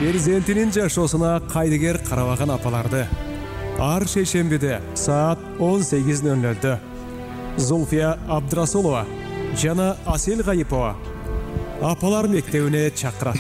перзентинин жашоосуна кайдыгер карабаган апаларды ар шейшембиде саат 18:00 Зульфия Абдрасулова жана Асел Гайипова апалар мектебине чакырат.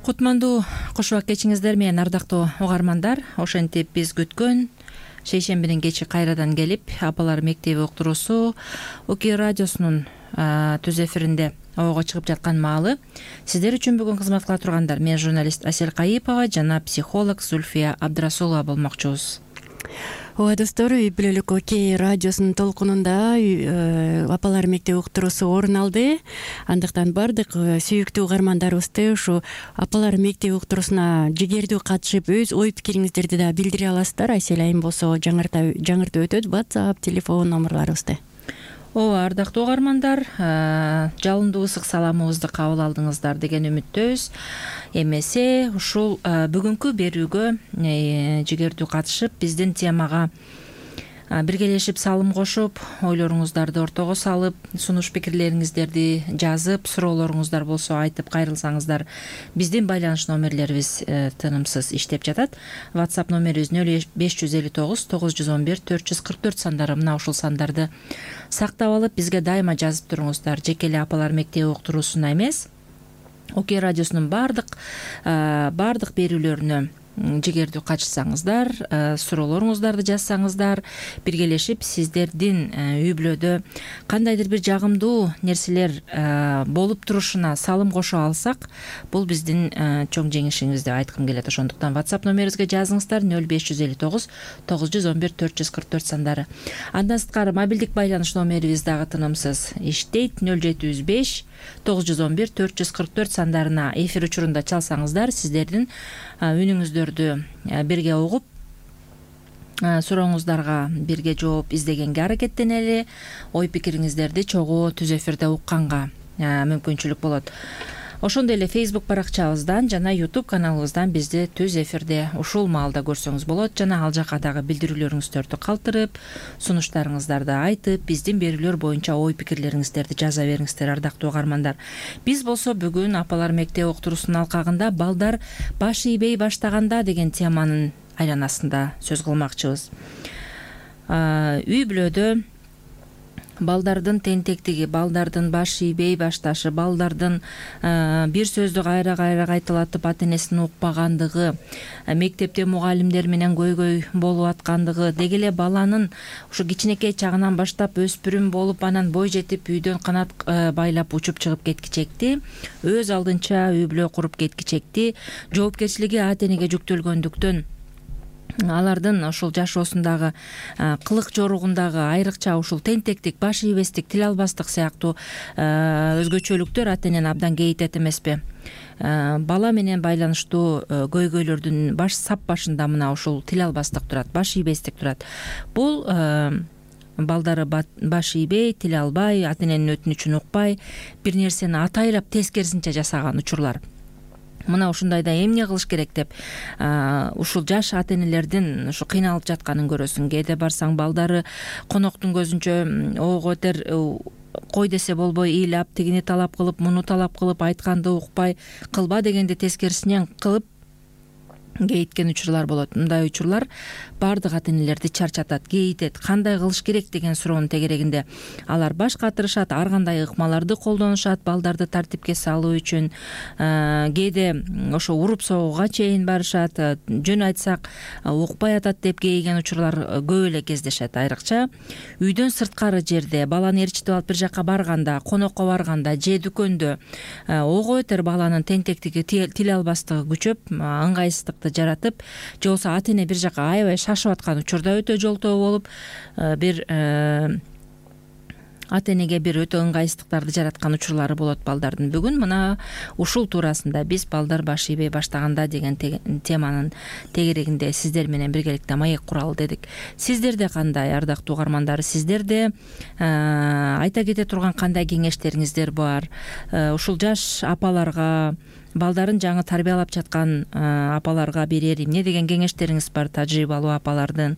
Кутмандуу кошубак кечиңиздер менен ардактуу угармандар. Ошентип биз күткөн шейшембинин кечи кайрадан келип, апалар мектеби уктуруусу УК радиосунун түз эфиринде ого чыгып жаткан маалы сиздер үчүн бүгүн кызмат кыла тургандар мен журналист Асел Кайипова жана психолог Зульфия Абдрасулова болмокчубуз. Ооба достор, үй бүлөлүк ОК радиосунун толкунунда апалар мектеби уктуруусу орун алды. Андыктан бардык сүйүктүү угармандарыбызды ушу апалар мектеби уктуруусуна жигердүү катышып, өз ой пикириңиздерди да билдире аласыздар. Айсел айым болсо жаңыртып өтөт WhatsApp телефон номерларыбызды. Ооба, ардактуу угармандар, жалындуу ысык саламыбызды кабыл алдыңыздар деген үмүттөбүз. Эмесе ушул бүгүнкү берүүгө жигердүү катышып, биздин темага биргелешип салым кошуп, ойлоруңуздарды ортого салып, сунуш пикирлериңиздерди жазып, суроолоруңуздар болсо айтып кайрылсаңыздар, биздин байланыш номерлерибиз тынымсыз иштеп жатат. WhatsApp номерибиз 0559 911 444 сандары. Мына ушул сандарды сактап алып, бизге дайыма жазып туруңуздар. Жеке эле апалар мектеби уктуруусуна эмес, ОК радиосунун бардык берүүлөрүнө жигердүү катышсаңыздар, суроолоруңуздарды жазсаңыздар, биргелешип сиздердин үй бүлөдө кандайдыр бир жагымдуу нерселер болуп турушуна салым кошо алсак, бул биздин чоң жеңишибиз деп айткым келет. Ошондуктан WhatsApp номерибизге жазыңыздар 0559 911 444 сандары. Андан сырткары мобилдик байланыш номерибиз дагы тынымсыз иштейт. 0705 911 444 сандарына эфир учурунда чалсаңыздар, сиздердин үнүңүздөрдү бирге угуп, сурооңуздарга бирге жооп издегенге аракеттенели, ой пикириңиздерди чогуу түз эфирде укканга мүмкүнчүлүк болот. Ошондой эле Facebook баракчабыздан жана YouTube каналыбыздан бизди түз эфирде ушул маалда көрсөңүз болот. Жана ал жака дагы билдирүүлөрүңүздөрдү калтырып, сунуштарыңыздарды айтып, биздин берүүлөр боюнча ой пикирлериңиздерди жаза бериңиздер, ардактуу угармандар. Биз болсо бүгүн апалар мектеби уктуруусунун алкагында балдар баш ийбей баштаганда деген теманын айланасында сөз кылмакчыбыз. Үй бүлөдө балдардын тентектиги, балдардын баш ийбей башташы, балдардын бир сөздү кайра кайталатып ата энесин укпагандыгы, мектепте мугалимдер менен көйгөй болуп аткандыгы, деги эле баланын ушу кичинекей чагынан баштап өспүрүм болуп, анан бой жетип үйдөн канат байлап учуп чыгып кеткичекти, өз алдынча үй бүлө куруп кеткичекти, жоопкерчилиги ата энеге жүктөлгөндүктөн алардын ушул жашоосундагы кылык жоругундагы айрыкча ушул тентектик, баш ийбестик, тил албастык сыяктуу өзгөчөлүктөр ата энени абдан кейитет эмеспи? Бала менен байланыштуу көйгөйлөрдүн сап башында мына ушул тил албастык турат, баш ийбестик турат. Бул балдары баш ийбей, тил албай, ата эненин өтүнүчүн укпай, бир нерсени атайлап тескерисинче жасаган учурлар. Мына ушундайда эмне кылыш керек деп ушул жаш ата энелердин ушу кыйналып жатканын көрөсүң. Кээде барсаң балдары коноктун көзүнчө ого этер кой десе болбой ыйлап, тигини талап кылып, муну талап кылып, айтканды укпай, кылба дегенди тескерисинен кылып кейиткен учурлар болот. Мындай учурлар бардык ата энелерди чарчатат, кейитет. Кандай кылыш керек деген суроонун тегерегинде алар баш катырышат, ар кандай ыкмаларды колдонушат балдарды тартипке салуу үчүн. Кээде ошо уруп согууга чейин барышат. Жөн айтсак, укпай атат деп кейиген учурлар көп эле кездешет. Айрыкча үйдөн сырткары жерде, баланы ээрчитип алып бир жака барганда, конокко барганда же дүкөндө ого этер баланын тентектиги, тил албастыгы күчөп, ыңгайсыздыкты жаратып, же болбосо ата эне бир жака аябай шашып аткан учурда өтө жолтоо болуп, бир ата энеге бир өтө ыңгайсыздыктарды жараткан учурлары болот балдардын. Бүгүн мына ушул туурасында биз балдар баш ийбей баштаганда деген теманын тегерегинде сиздер менен биргеликте маек куралы дедик. Сиздерде кандай, ардактуу угармандар? Сиздерде айта кете турган кандай кеңештериңиздер бар? Ушул жаш апаларга балдарын жаңы тарбиялап жаткан апаларга берер эмне деген кеңештериңиз бар, тажрыйбалуу апалардын?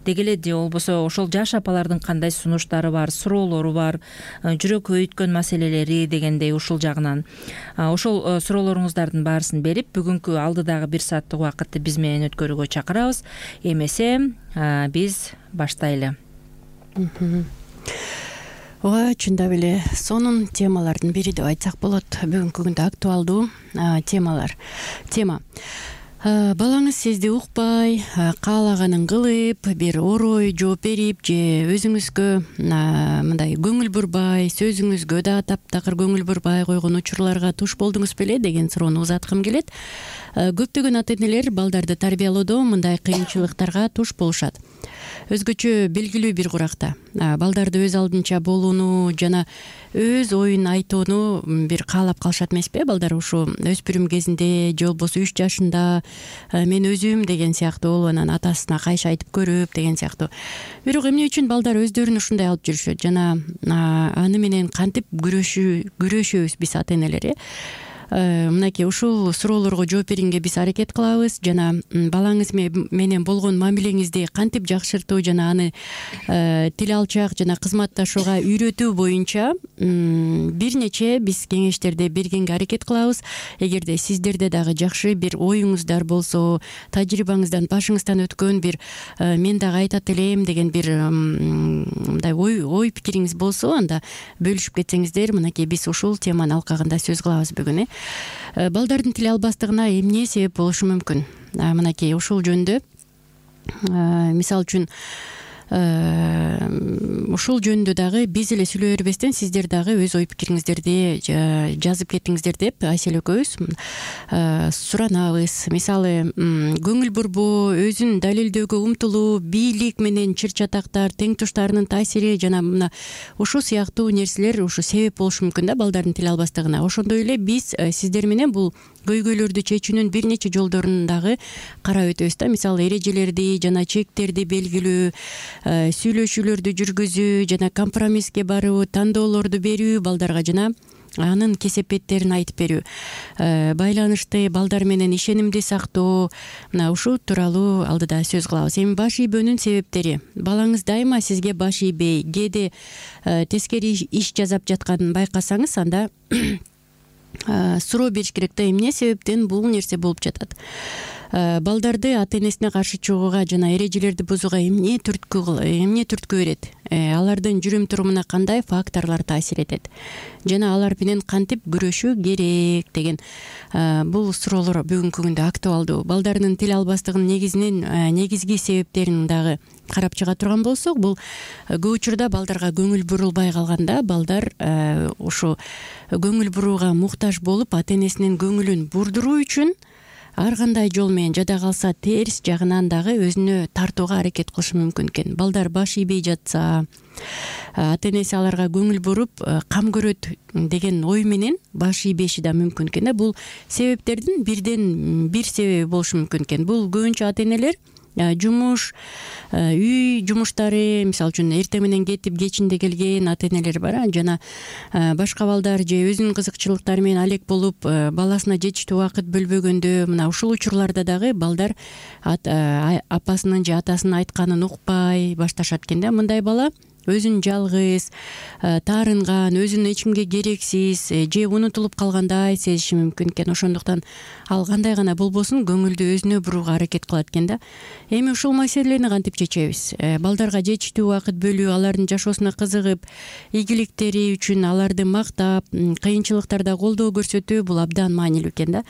Деги эле же болбосо ошол жаш апалардын кандай сунуштары бар, суроолору бар, жүрөк өйткөн маселелери дегендей ушул жагынан ошол суроолоруңуздардын баарысын берип, бүгүнкү алдыдагы 1 сааттык убакытты биз менен өткөрүүгө чакырабыз. Эмесе биз баштайлы. Ооба, чындап эле сонун темалардын бири деп айтсак болот. Бүгүнкү күндө актуалдуу тема. Балаңыз сизди укпай, каалаганын кылып, бир орой жооп берип же өзүңүзгө мындай көңүл бурбай, сөзүңүзгө да таптакыр көңүл бурбай койгон учурларга туш болдуңуз беле деген суроону узаткым келет. Көптөгөн ата-энелер балдарды тарбиялоодо мындай кыйынчылыктарга туш болушат. Өзгөчө белгилүү бир куракта балдарды өз алдынча болууну жана өз оюн айтууну бир каалап калышат эмеспи? Балдар ушу өспүрүм кезинде же болбосо 3 жашында мен өзүм деген сыяктуу анан атасына кайша айтып көрүп деген сыяктуу. Бирок эмне үчүн балдар өздөрүн ушундай алып жүрүшөт жана аны менен кантип күрөшөбүз биз ата-энелер? Мынакей ушул суроолорго жооп бергенге биз аракет кылабыз жана балаңыз менен болгон мамилеңизди кантип жакшыртуу жана аны тил алчак жана кызматташууга үйрөтүү боюнча бир нече биз кеңештерди бергенге аракет кылабыз. Эгерде сиздерде дагы жакшы бир оюңуздар болсо, тажрыйбаңыздан, башыңыздан өткөн бир мен дагы айтат элем деген бир мындай ой пикириңиз болсо, анда бөлүшүп кетсеңиздер, мынакей биз ушул теманын алкагында сөз кылабыз бүгүн. Балдардын тил албастыгына эмне себеп болушу мүмкүн? Мынакей ушул жөнүндө мисалы үчүн ушул жөнүндө дагы биз эле сүйлөй бербестен сиздер дагы өз ой пикириңиздерди жазып кетиңиздер деп Айсел экөөбүз суранабыз. Мисалы, көңүл бурбоо, өзүн далилдөөгө умтулуу, бийлик менен чыр-чатактар, тең туштарынын таасири жана мына ушул сыяктуу нерселер ушу себеп болушу мүмкүн да балдардын тил албастыгына. Ошондой эле биз сиздер менен бул көйгөйлөрдү чечүүнүн бир нече жолдорун дагы карап өтөбүз да. Мисалы, эрежелерди жана чектерди белгилөө, сүйлөшүүлөрдү жүргүзүү жана компромисске баруу, тандоолорду берүү балдарга жана анын кесепеттерин айтып берүү, байланышты балдар менен ишенимди сактоо, мына ушул тууралуу алдыда сөз кылабыз. Эми баш ийбөөнүн себептери. Балаңыз дайыма сизге баш ийбей, кээде тескери иш жасап жатканын байкасаңыз, анда суроо бериш керек да, эмне себептен бул нерсе болуп жатат? Балдарды ата-энесине каршы чыгууга жана эрежелерди бузууга эмне түрткү берет? Алардын жүрүм турумуна кандай факторлор таасир этет? Жана алар менен кантип күрөшүү керек деген бул суроолор бүгүнкү күндө актуалдуу. Балдардын тил албастыгынын негизги себептерин дагы карап чыга турган болсок, бул көп учурда балдарга көңүл бурулбай калганда, балдар ушу көңүл бурууга муктаж болуп, ата-энесинин көңүлүн бурдуруу үчүн ар кандай жол менен жада калса терс жагынан дагы өзүнө тартууга аракет кылышы мүмкүн экен. Балдар баш ийбей жатса, ата-энеси аларга көңүл буруп кам көрөт деген ой менен баш ийбеши да мүмкүн экен. Бул себептердин бирден бир себеби болушу мүмкүн экен. Бул көбүнчө ата-энелер жумуш, үй жумуштары, мисалы үчүн эртең менен кетип кечинде келген ата-энелер бар, жана башка балдар же өзүнүн кызыкчылыктары менен алек болуп, баласына жетиштүү убакыт бөлбөгөндө, мына ушул учурларда дагы балдар апасынын же атасынын айтканын укпай башташат экен да. Мындай бала өзүн жалгыз, таарынган, өзүн эч кимге керексиз же унутулуп калгандай сезиши мүмкүн экен. Ошондуктан ал кандай гана болбосун көңүлдү өзүнө бурууга аракет кылат экен да. Эми ушул маселени кантип чечебиз? Балдарга жетиштүү убакыт бөлүү, алардын жашоосуна кызыгып, ийгиликтери үчүн аларды мактап, кыйынчылыктарда колдоо көрсөтүү бул абдан маанилүү экен да.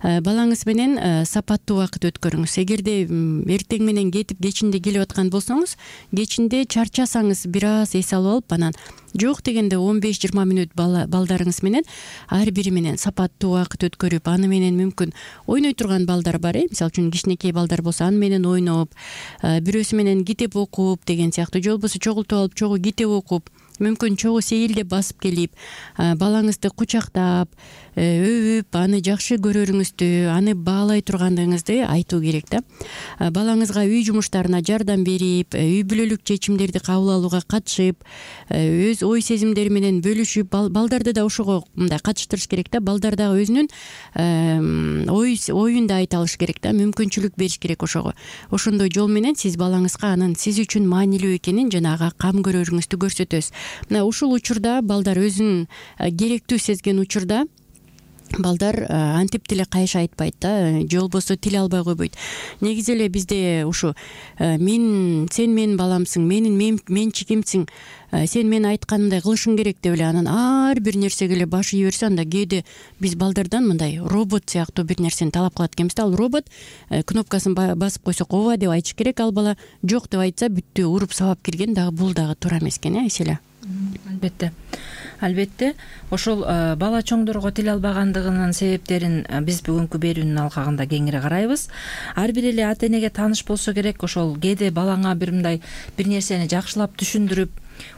Балаңыз менен сапаттуу убакыт өткөрүңүз. Эгерде эртең менен кетип кечинде келип аткан болсоңуз, кечинде чарчасаңыз бир аз эс алып алып, анан жок дегенде 15-20 мүнөт балдарыңыз менен ар бири менен сапаттуу убакыт өткөрүп, аны менен мүмкүн ойной турган балдар бар, мисалы үчүн кичинекей балдар болсо аны менен ойноп, бирөөсү менен китеп окуп деген сыяктуу, же болбосо чогултуп алып чогуу китеп окуп, мүмкүн чогуу сейилдеп басып келип балаңызды кучактап өбүп аны жакшы көрөрүңүздү, аны баалай тургандыгыңызды айтуу керек да. Балаңызга үй жумуштарына жардам берип, үй бүлөлүк чечимдерди кабыл алууга катышып, өз ой сезимдери менен бөлүшүп, балдарды да ошого мындай катыштырыш керек да. Балдар дагы өзүнүн оюн да айта алыш керек да, мүмкүнчүлүк бериш керек ошого. Ошондой жол менен сиз балаңызга анын сиз үчүн маанилүү экенин жана ага кам көрөрүңүздү көрсөтөсүз. Мына ушул учурда балдар өзүн керектүү сезген учурда балдар антип деле кайша айтпайт да, же болбосо тил албай койбойт. Негизи эле бизде ушу сен менин баламсың, менин менчигимсиң, сен менин айтканымдай кылышың керек деп эле анан ар бир нерсеге эле баш ии берсе, анда кээде биз балдардан мындай робот сыяктуу бир нерсени талап кылат экенбиз да. Ал робот кнопкасын басып койсок ооба деп айтыш керек, ал бала жок деп айтса бүттү, уруп сабап кирген, дагы бул дагы туура эмес экен, эселе. Албетте ошол бала чоңдорго тил албагандыгынын себептерин биз бүгүнкү берүүнүн алкагында кеңири карайбыз. Ар бир эле ата энеге тааныш болсо керек. Ошол кээде балаңа бир нерсени жакшылап түшүндүрүп,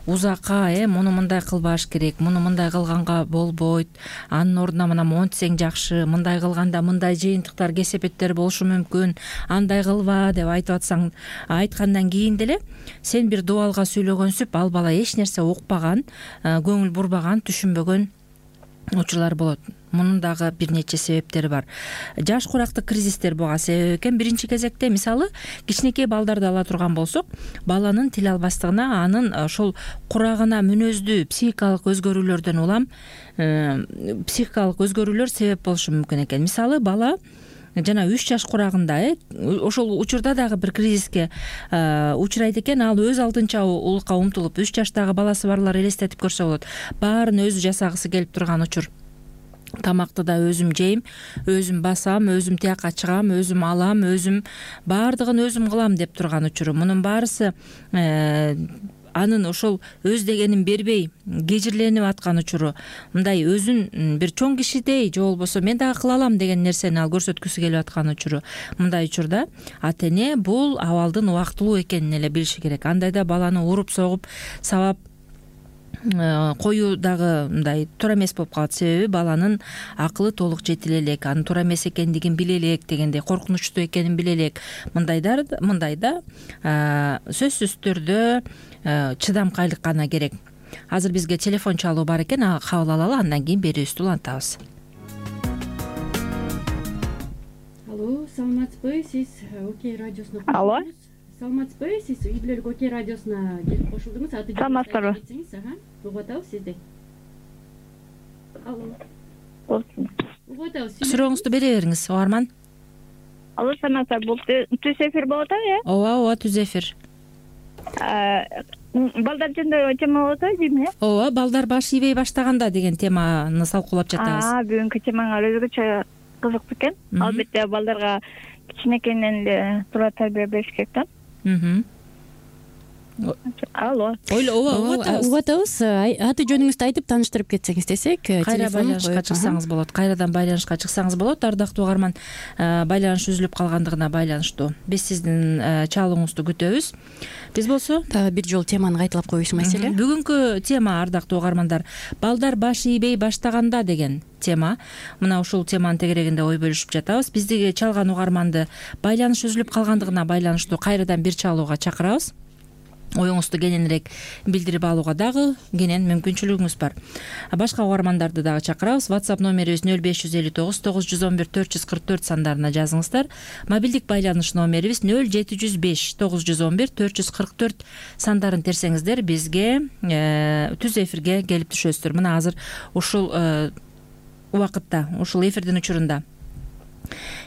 узакка муну мындай кылбаш керек, муну мындай кылганга болбойт, анын ордуна мына монтсең жакшы, мындай кылганда мындай жыйынтыктар, кесепеттер болушу мүмкүн, андай кылба деп айтып атсаң, айткандан кийин деле сен бир дубалга сүйлөгөнсүп, ал бала эч нерсе укпаган, көңүл бурбаган, түшүнбөгөн учурлар болот. Мунун дагы бир нече себептери бар. Жаш курактык кризистер буга себеп экен. Биринчи кезекте, мисалы, кичинекей балдарды ала турган болсок, баланын тил албастыгына анын ошол курагына мүнөздүү психикалык өзгөрүүлөрдөн улам психикалык өзгөрүүлөр себеп болушу мүмкүн экен. Мисалы, бала жана 3 жаш курагында ошол учурда дагы бир кризиске учурайт экен. Ал өз алдынча улукка умтулуп, 3 жаштагы баласы барлар элестетип көрсө болот. Баарын өзү жасагысы келип турган учур. Тамакты да өзүм жейм, өзүм басам, өзүм тияка чыгам, өзүм алам, өзүм баардыгын өзүм кылам деп турган учуру. Мунун баарысы анын ошол өз дегенин бербей кежирленип аткан учуру. Мындай өзүн бир чоң кишидей, же болбосо мен дагы кыла алам деген нерсени ал көрсөткүсү келип аткан учуру. Мындай учурда ата эне бул абалдын убактылуу экенин эле билиши керек. Андайда баланы уруп согуп сабап коюу дагы мындай туура эмес болуп калат. Себеби баланын акылы толук жетиле элек, анын туура эмес экендигин биле элек, дегендей коркунучтуу экенин биле элек. Мындайда сөзсүз түрдө чыдамкайлык гана керек. Азыр бизге телефон чалуу бар экен, ага кабыл алалы, андан кийин берүүбүздү улантабыз. Алло, саламатсызбы? Сиз Окей радиосуна Алло. Саламатсызбы? Сиз үй бүлөлүк Окей радиосуна келип кошулдуңуз. Саламатсызбы? Угуп атабыз сизди. Алло. Угуп атабыз. Сурооңузду бере бериңиз, угарман. Алло, саламатсызбы? Бул түз эфир болуп атабы, Ооба, түз эфир. Балдар жөнүндө тема болуп атабы, дейм, Ооба, балдар баш ийбей баштаганда деген теманы салкуулап жатабыз. Бүгүнкү темаңар өзгөчө кызыктуу экен. Албетте балдарга кичинекейинен эле туура тарбия бериш керек да. Алло. Угуп атабыз. Аты жөнүңүздү айтып тааныштырып кетсеңиз десек, кайра байланышка чыксаңыз болот. Кайрадан байланышка чыксаңыз болот. Ардактуу угарман, байланыш үзүлүп калгандыгына байланыштуу биз сиздин чалууңузду күтөбүз. Биз болсо дагы бир жолу теманы кайталап коюш маселе. Бүгүнкү тема, ардактуу угармандар, балдар баш ийбей баштаганда деген тема. Мына ушул теманын тегерегинде ой бөлүшүп жатабыз. Биздиги чалган угарманды байланыш үзүлүп калгандыгына байланыштуу кайрадан бир чалууга чакырабыз. Оюңузду кененирээк билдирип алууга дагы кенен мүмкүнчүлүгүңүз бар. Башка угармандарды дагы чакырабыз. WhatsApp номерибиз 0559 911 444 сандарына жазыңыздар. Мобилдик байланыш номерибиз 0705 911 444 сандарын терсеңиздер бизге түз эфирге келип түшөсүздөр. Мына азыр ушул убакытта, ушул эфирдин учурунда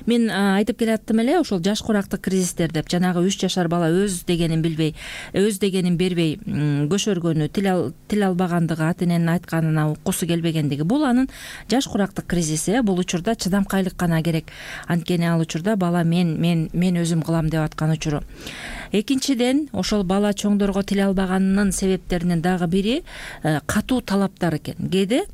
мен айтып келаттым эле, ошол жаш курактык кризистер деп, жанагы 3 жашар бала өз дегенин билбей, өз дегенин бербей көшөргөнү, тил албагандыгы, ата эненин айтканына уккусу келбегендиги, бул анын жаш курактык кризиси. Бул учурда чыдамкайлык гана керек. Анткени ал учурда бала мен өзүм кылам деп аткан учуру. Экинчиден, ошол бала чоңдорго тил албаганынын себептеринин дагы бири катуу талаптар экен. Кээде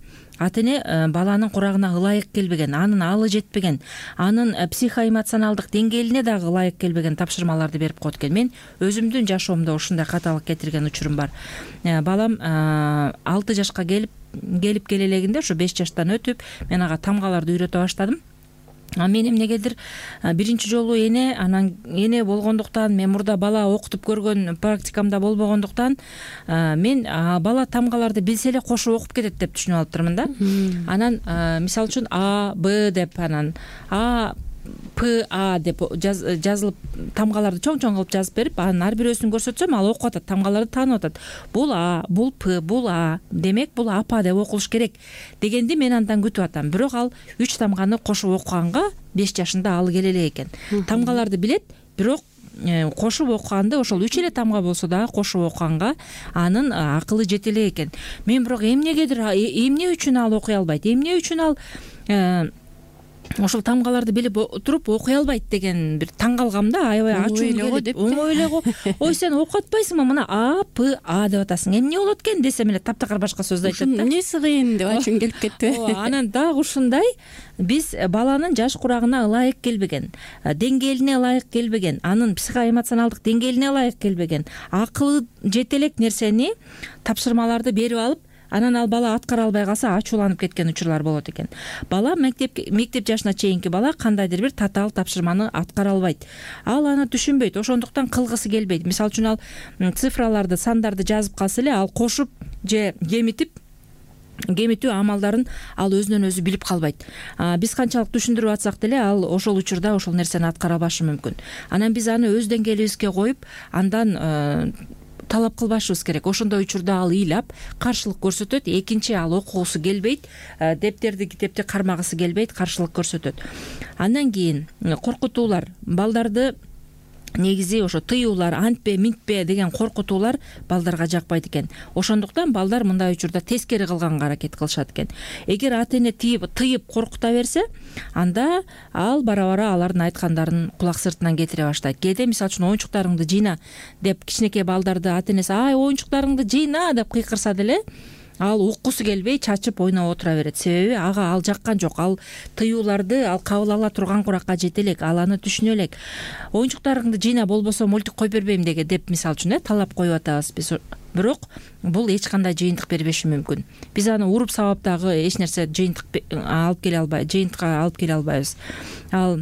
ата эне баланын курагына ылайык келбеген, анын алы жетпеген, анын психоэмоционалдык деңгээлине дагы ылайык келбеген тапшырмаларды берип коет экен. Мен өзүмдүн жашоомдо ушундай каталык кетирген учурум бар. Балам 6 жашка келип келе элегинде, ушу 5 жаштан өтүп, мен ага тамгаларды үйрөтө баштадым. Мен эмнегедир биринчи жолу эне болгондуктан, мен мурда бала окутуп көргөн практикамда болбогондуктан, мен бала тамгаларды билсе эле кошуп окуп кетет деп түшүнүп алыптырмын да. Анан мисалы үчүн А, Б деп, анан А, П, А деп жазылып, тамгаларды чоң-чоң кылып жазып берип, анын ар бирөөсүн көрсөтсөм, ал окуп атат, тамгаларды таанып атат. Бул А, бул П, бул А, демек бул апа деп окулуш керек дегенди мен андан күтүп атам. Бирок ал 3 тамганы кошуп окуганга 5 жашында алы келе элек экен. Тамгаларды билет, бирок кошуп окуганды, ошол 3 эле тамга болсо дагы кошуп окуганга анын акылы жете элек экен. Мен бирок эмнегедир эмне үчүн ал окуй албайт, эмне үчүн ал ошол тамгаларды билип туруп окуй албайт деген бир таң калгам да, аябай ачуум келип, оңой эле го. Ой, сен окуп атпайсыңбы, мына А, П, А деп атасың, эмне болот экен десем эле таптакыр башка сөздү айтат да. Эмнеси кыйын деп ачуң келип кетти. Анан дагы ушундай, биз баланын жаш курагына ылайык келбеген, деңгээлине ылайык келбеген, анын психоэмоционалдык деңгээлине ылайык келбеген, акылы жете элек нерсени, тапшырмаларды берип алып, анан ал бала аткара албай калса ачууланып кеткен учурлар болот экен. Бала мектеп жашына чейинки бала кандайдыр бир татаал тапшырманы аткара албайт. Ал аны түшүнбөйт, ошондуктан кылгысы келбейт. Мисалы үчүн ал цифраларды, сандарды жазып калса эле, ал кошуп же кемитүү амалдарын ал өзүнөн өзү билип калбайт. Биз канчалык түшүндүрүп атсак деле, ал ошол учурда ошол нерсени аткара албашы мүмкүн. Анан биз аны өз деңгээлибизге коюп, андан талап кылбашыбыз керек. Ошондой учурда ал ыйлап каршылык көрсөтөт. Экинчи, ал окугусу келбейт, дептерди, китепти кармагысы келбейт, каршылык көрсөтөт. Андан кийин коркутуулар, балдарды негизи ошо тыюулар, антпе, минтпе деген коркутуулар балдарга жакпайт экен. Ошондуктан балдар мындай учурда тескери кылганга аракет кылышат экен. Эгер ата эне тыйып коркута берсе, анда ал бара-бара алардын айткандарын кулак сыртынан кетире баштайт. Кээде мисалы үчүн оюнчуктарыңды жыйна деп кичинекей балдарды ата энеси ай оюнчуктарыңды жыйна деп кыйкырса деле, ал уккусу келбей чачып ойноп отура берет. Себеби ага ал жаккан жок. Ал тыюуларды ал кабыл ала турган куракка жете элек, ал аны түшүнө элек. Оюнчуктарыңды жыйна, болбосо мультик койуп бербейм деп мисалы үчүн талап коюп атабыз биз. Бирок бул эч кандай жыйынтык бербеши мүмкүн. Биз аны уруп сабап дагы эч нерсе жыйынтыкка алып келе албайбыз. Ал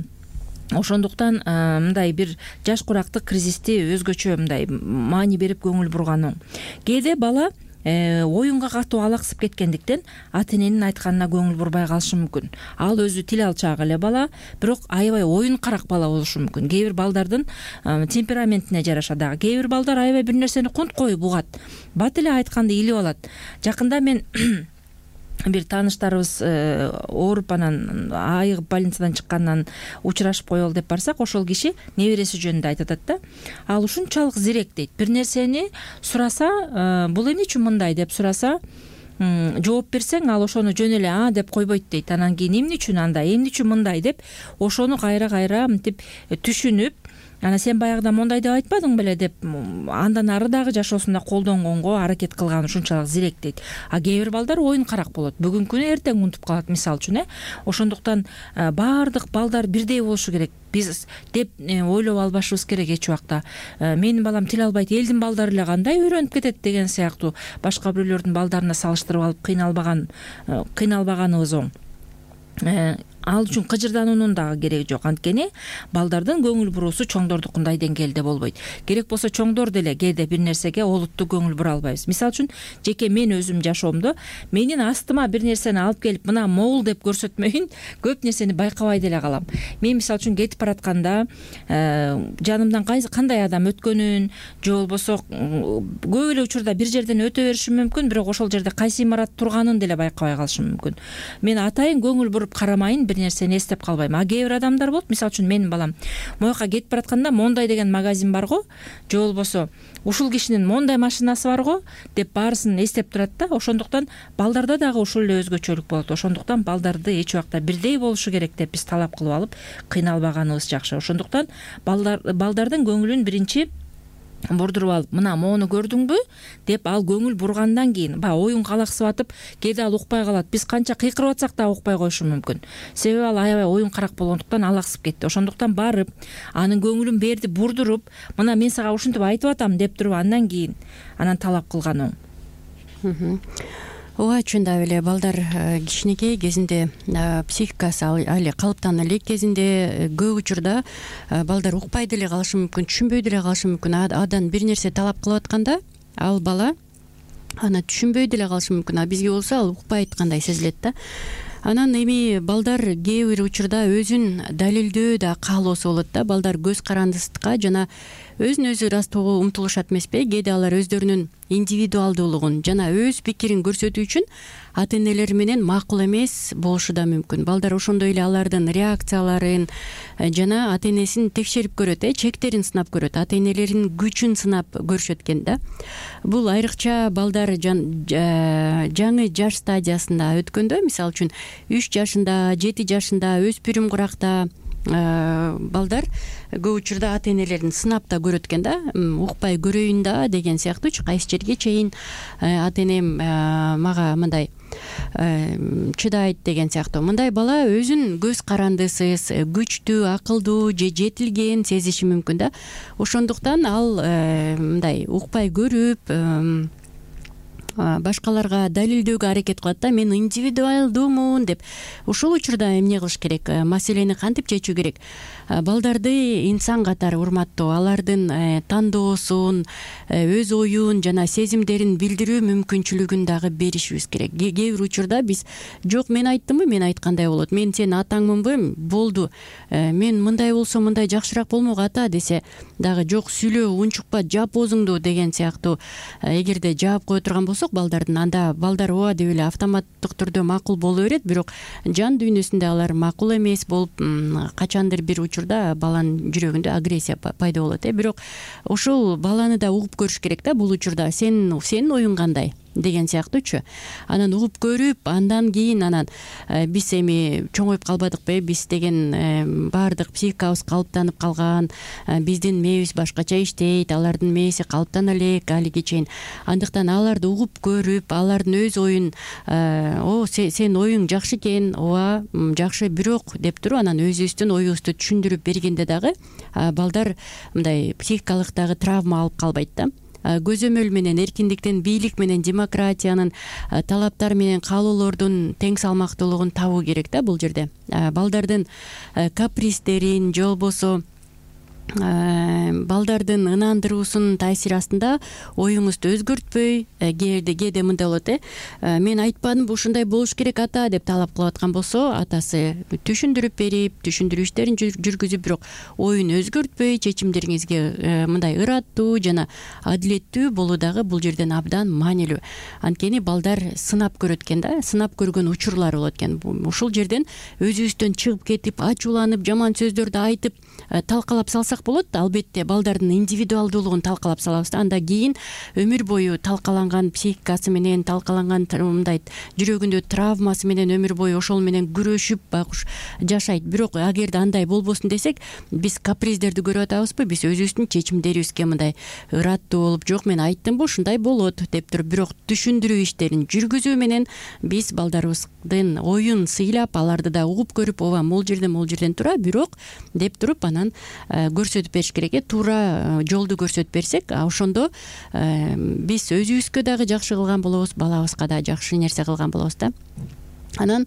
ошондуктан мындай бир жаш курактык кризисти өзгөчө мындай маани берип көңүл бурган оң. Кээде бала оюнга катуу алаксып кеткендиктен ата эненин айтканына көңүл бурбай калышы мүмкүн. Ал өзү тил алчаак эле бала, бирок аябай оюн карак бала болушу мүмкүн. Кээ бир балдардын темпераментине жараша дагы. Кээ бир балдар аябай бир нерсени кунт коюп угат, бат эле айтканды илип алат. Жакында мен бир тааныштарыбыз ооруп, анан айыгып больницадан чыккандан учурашып коелу деп барсак, ошол киши небереси жөнүндө айтып атат да. Ал ушунчалык зирек дейт. Бир нерсени сураса, бул эмне үчүн мындай деп сураса, жооп берсең, ал ошону жөн эле а деп койбойт дейт. Анан кийин эмне үчүн андай, эмне үчүн мындай деп ошону кайра мынтип түшүнүп, анан сен баягыда мондай деп айтпадың беле деп андан ары дагы жашоосунда колдонгонго аракет кылган ушунчалык зирек дейт. Кээ бир балдар оюн карак болот. Бүгүнкүнү эртең унутуп калат, мисалы үчүн. Ошондуктан баардык балдар бирдей болушу керек. Биз деп ойлоп албашыбыз керек эч убакта. Менин балам тил албайт, элдин балдары эле кандай үйрөнүп кетет деген сыяктуу башка бирөөлөрдүн балдарына салыштырып алып кыйналбаганыбыз оң. Ал үчүн кыжырдануунун дагы кереги жок. Анткени балдардын көңүл буруусу чоңдордукундай деңгээлде болбойт. Керек болсо чоңдор деле кээде бир нерсеге олуттуу көңүл бура албайбыз. Мисалы үчүн жеке мен өзүм жашоомдо менин астыма бир нерсени алып келип мына могул деп көрсөтмөйүн көп нерсени байкабай деле калам. Мен мисалы үчүн кетип баратканда жанымдан кандай адам өткөнүн, же болбосо көп эле учурда бир жерден өтө беришим мүмкүн, бирок ошол жерде кайсы имарат турганын деле байкабай калышым мүмкүн. Мен атайын көңүл буруп карамайын, бир нерсени эстеп калбайм. Кээ бир адамдар болот, мисалы үчүн менин балам мояка кетип баратканда мондай деген магазин бар го, же болбосо ушул кишинин мондай машинасы бар го деп баарысын эстеп турат да. Ошондуктан балдарда дагы ушул эле өзгөчөлүк болот. Ошондуктан балдарды эч убакта бирдей болушу керек деп биз талап кылып алып кыйналбаганыбыз жакшы. Ошондуктан балдардын көңүлүн биринчи бурдуруп алып мына моуну көрдүңбү деп ал көңүл бургандан кийин баягы оюнга алаксып атып кээде ал укпай калат. Биз канча кыйкырып атсак да укпай коюшу мүмкүн. Себеби ал аябай оюнкарак болгондуктан алаксып кетти. Ошондуктан барып анын көңүлүн берди бурдуруп, мына мен сага ушинтип айтып атам деп туруп андан кийин анан талап кылган оң. ооба, чындап эле балдар кичинекей кезинде психикасы али калыптана элек кезинде көп учурда балдар укпай деле калышы мүмкүн, түшүнбөй деле калышы мүмкүн. Адан бир нерсе талап кылып атканда ал бала аны түшүнбөй деле калышы мүмкүн, а бизге болсо ал укпай айткандай сезилет да. Анан эми балдар кээ бир учурда өзүн далилдөө да каалоосу болот да. Балдар көз карандысызга жана өзүн өзү ырастоого умтулушат эмеспи? Кээде алар өздөрүнүн индивидуалдуулугун жана өз пикирин көрсөтүү үчүн ата энелери менен макул эмес болушу да мүмкүн. Балдар ошондой эле алардын реакцияларын жана ата энесин текшерип көрөт, чектерин сынап көрөт, ата энелеринин күчүн сынап көрүшөт экен да. Бул айрыкча балдар жаңы жаш стадиясында өткөндө, мисалы үчүн 3 жашында, 7 жашында, өспүрүм куракта балдар көп учурда ата энелерин сынап да көрөт экен да. Укпай көрөйүн да деген сыяктуучу, кайсы жерге чейин ата энем мага мындай чыдайт деген сыяктуу. Мындай бала өзүн көз карандысыз, күчтүү, акылдуу же жетилген сезиши мүмкүн да. Ошондуктан ал мындай укпай көрүп башкаларга далилдөөгө аракет кылат да. Мен индивидуалдуумун деп. Ушул учурда эмне кылыш керек? Маселени кантип чечүү керек? Балдарды инсан катары урматтоо, алардын тандоосун, өз оюн жана сезимдерин билдирүү мүмкүнчүлүгүн дагы беришибиз керек. Кээ бир учурда биз жок, мен айттымбы, мен айткандай болот, мен сенин атаңмынбы, болду, мен мындай болсо мындай жакшыраак болмок ата десе дагы жок, сүйлөө, унчукпа, жап оозуңду деген сыяктуу эгерде жаап кое турган болсок балдардын, анда балдар ооба деп эле автоматтык түрдө макул боло берет, бирок жан дүйнөсүндө алар макул эмес болуп качандыр бир учурда баланын жүрөгүндө агрессия пайда болот. Бирок ошол баланы да угуп көрүш керек да. Бул учурда сенин оюң кандай деген сыяктуучу. Анан угуп көрүп, андан кийин анан биз эми чоңоюп калбадыкпы? Биз деген баардык психикабыз калыптанып калган, биздин мээбиз башкача иштейт, алардын мээси калыптана элек алиге чейин. Андыктан аларды угуп көрүп, алардын өз оюн, сенин оюң жакшы экен, ооба жакшы, бирок деп туруп анан өзүбүздүн оюбузду түшүндүрүп бергенде дагы балдар мындай психикалык дагы травма алып калбайт да. Көзөмөл менен эркиндиктин, бийлик менен демократиянын, талаптар менен каалоолордун тең салмактуулугун табуу керек да бул жерде. Балдардын каприздерин же болбосо балдардын ынандыруусунун таасири астында оюңузду өзгөртпөй, кээде мындай болот, мен айтпадымбы ушундай болуш керек ата деп талап кылып аткан болсо, атасы түшүндүрүп берип, түшүндүрүү иштерин жүргүзүп, бирок оюн өзгөртпөй, чечимдериңизге мындай ыраттуу жана адилеттүү болуу дагы бул жерден абдан маанилүү. Анткени балдар сынап көрөт экен да, сынап көргөн учурлар болот экен. Ушул жерден өзүбүздөн чыгып кетип, ачууланып, жаман сөздөрдү айтып талкалап салсак болот. Албетте балдардын индивидуалдуулугун талкалап салабыз да. Анда кийин өмүр бою талкаланган психикасы менен, талкаланган мындай жүрөгүндө травмасы менен өмүр бою ошол менен күрөшүп багыш жашайт. Бирок агерде андай болбосун десек, биз каприздерди көрүп атабызбы? Биз өзүбүздүн чечимдерибизге мындай ыраттуу болуп, жок, мен айттымбы ушундай болот деп туруп, бирок түшүндүрүү иштерин жүргүзүү менен биз балдарыбыздын оюн сыйлап, аларды да угуп көрүп, ооба могул жерден тура, бирок деп туруп анан көрсөтүп бериш керек. Туура жолду көрсөтүп берсек, ошондо биз өзүбүзгө дагы жакшы кылган болобуз, балабызга да жакшы нерсе кылган болобуз да. Анан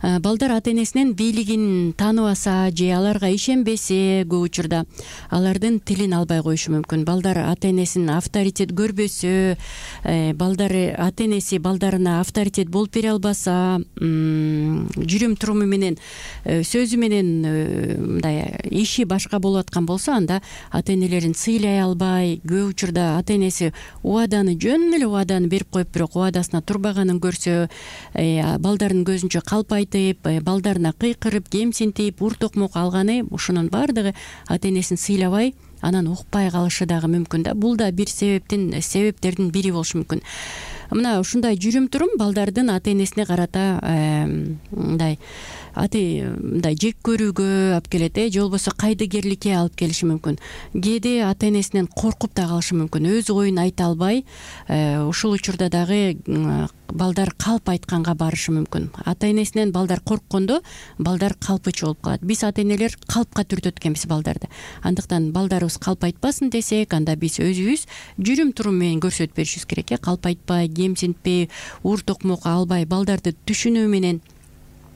балдар ата энесинин бийлигин тааныбаса же аларга ишенбесе, көп учурда алардын тилин албай коюшу мүмкүн. Балдар ата энесин авторитет көрбөсө, балдар ата энеси балдарына авторитет болуп бере албаса, жүрүм туруму менен, сөзү менен мындай иши башка болуп аткан болсо, анда ата энелерин сыйлай албай, көп учурда ата энеси убаданы жөн эле убаданы берип коюп, бирок убадасына турбаганын көрсө, балдардын көзүнчө калп айтып, балдарына кыйкырып, кемсинтип, ур токмок алганы, ушунун баардыгы ата энесин сыйлабай, анан укпай калышы дагы мүмкүн да. Бул да бир себептердин бири болушу мүмкүн. Мына ушундай жүрүм турум балдардын ата энесине карата мындай мындай жек көрүүгө алып келет, же болбосо кайдыгерликке алып келиши мүмкүн. Кээде ата энесинен коркуп да калышы мүмкүн, өз оюн айта албай, ушул учурда дагы балдар калп айтканга барышы мүмкүн. Ата энесинен балдар корккондо балдар калпычы болуп калат. Биз ата энелер калпка түртөт экенбиз балдарды. Андыктан балдарыбыз калп айтпасын десек, анда биз өзүбүз жүрүм турум менен көрсөтүп беришибиз керек. Калп айтпай, кемсинтпей, уур токмок албай, балдарды түшүнүү менен.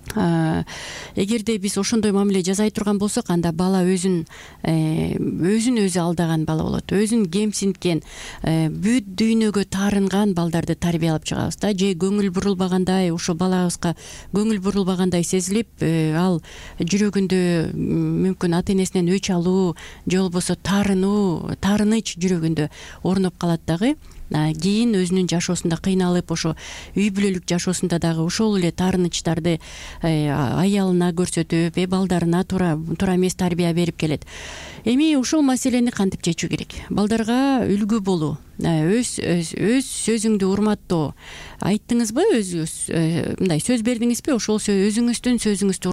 Эгерде биз ошондой мамиле жасай турган болсок, анда бала өзүн өзү алдаган бала болот. Өзүн кемсинткен, бүт дүйнөгө таарынган балдарды тарбиялап чыгабыз да. Же көңүл бурулбагандай, ошо балабызга көңүл бурулбагандай сезилип, ал жүрөгүндө мүмкүн ата энесинен өч алуу, же болбосо таарыныч жүрөгүндө орноп калат дагы. Кийин өзүнүн жашоосунда кыйналып, ошо үй бүлөлүк жашоосунда дагы ошол эле таарынычтарды аялына көрсөтүп, балдарына туура эмес тарбия берип келет. Эми ушул маселени кантип чечүү керек? Балдарга үлгү болуу, өз сөзүңдү урматтоо. Айттыңызбы, мындай сөз бердиңизби, ошол өзүңүздүн сөзүңүздү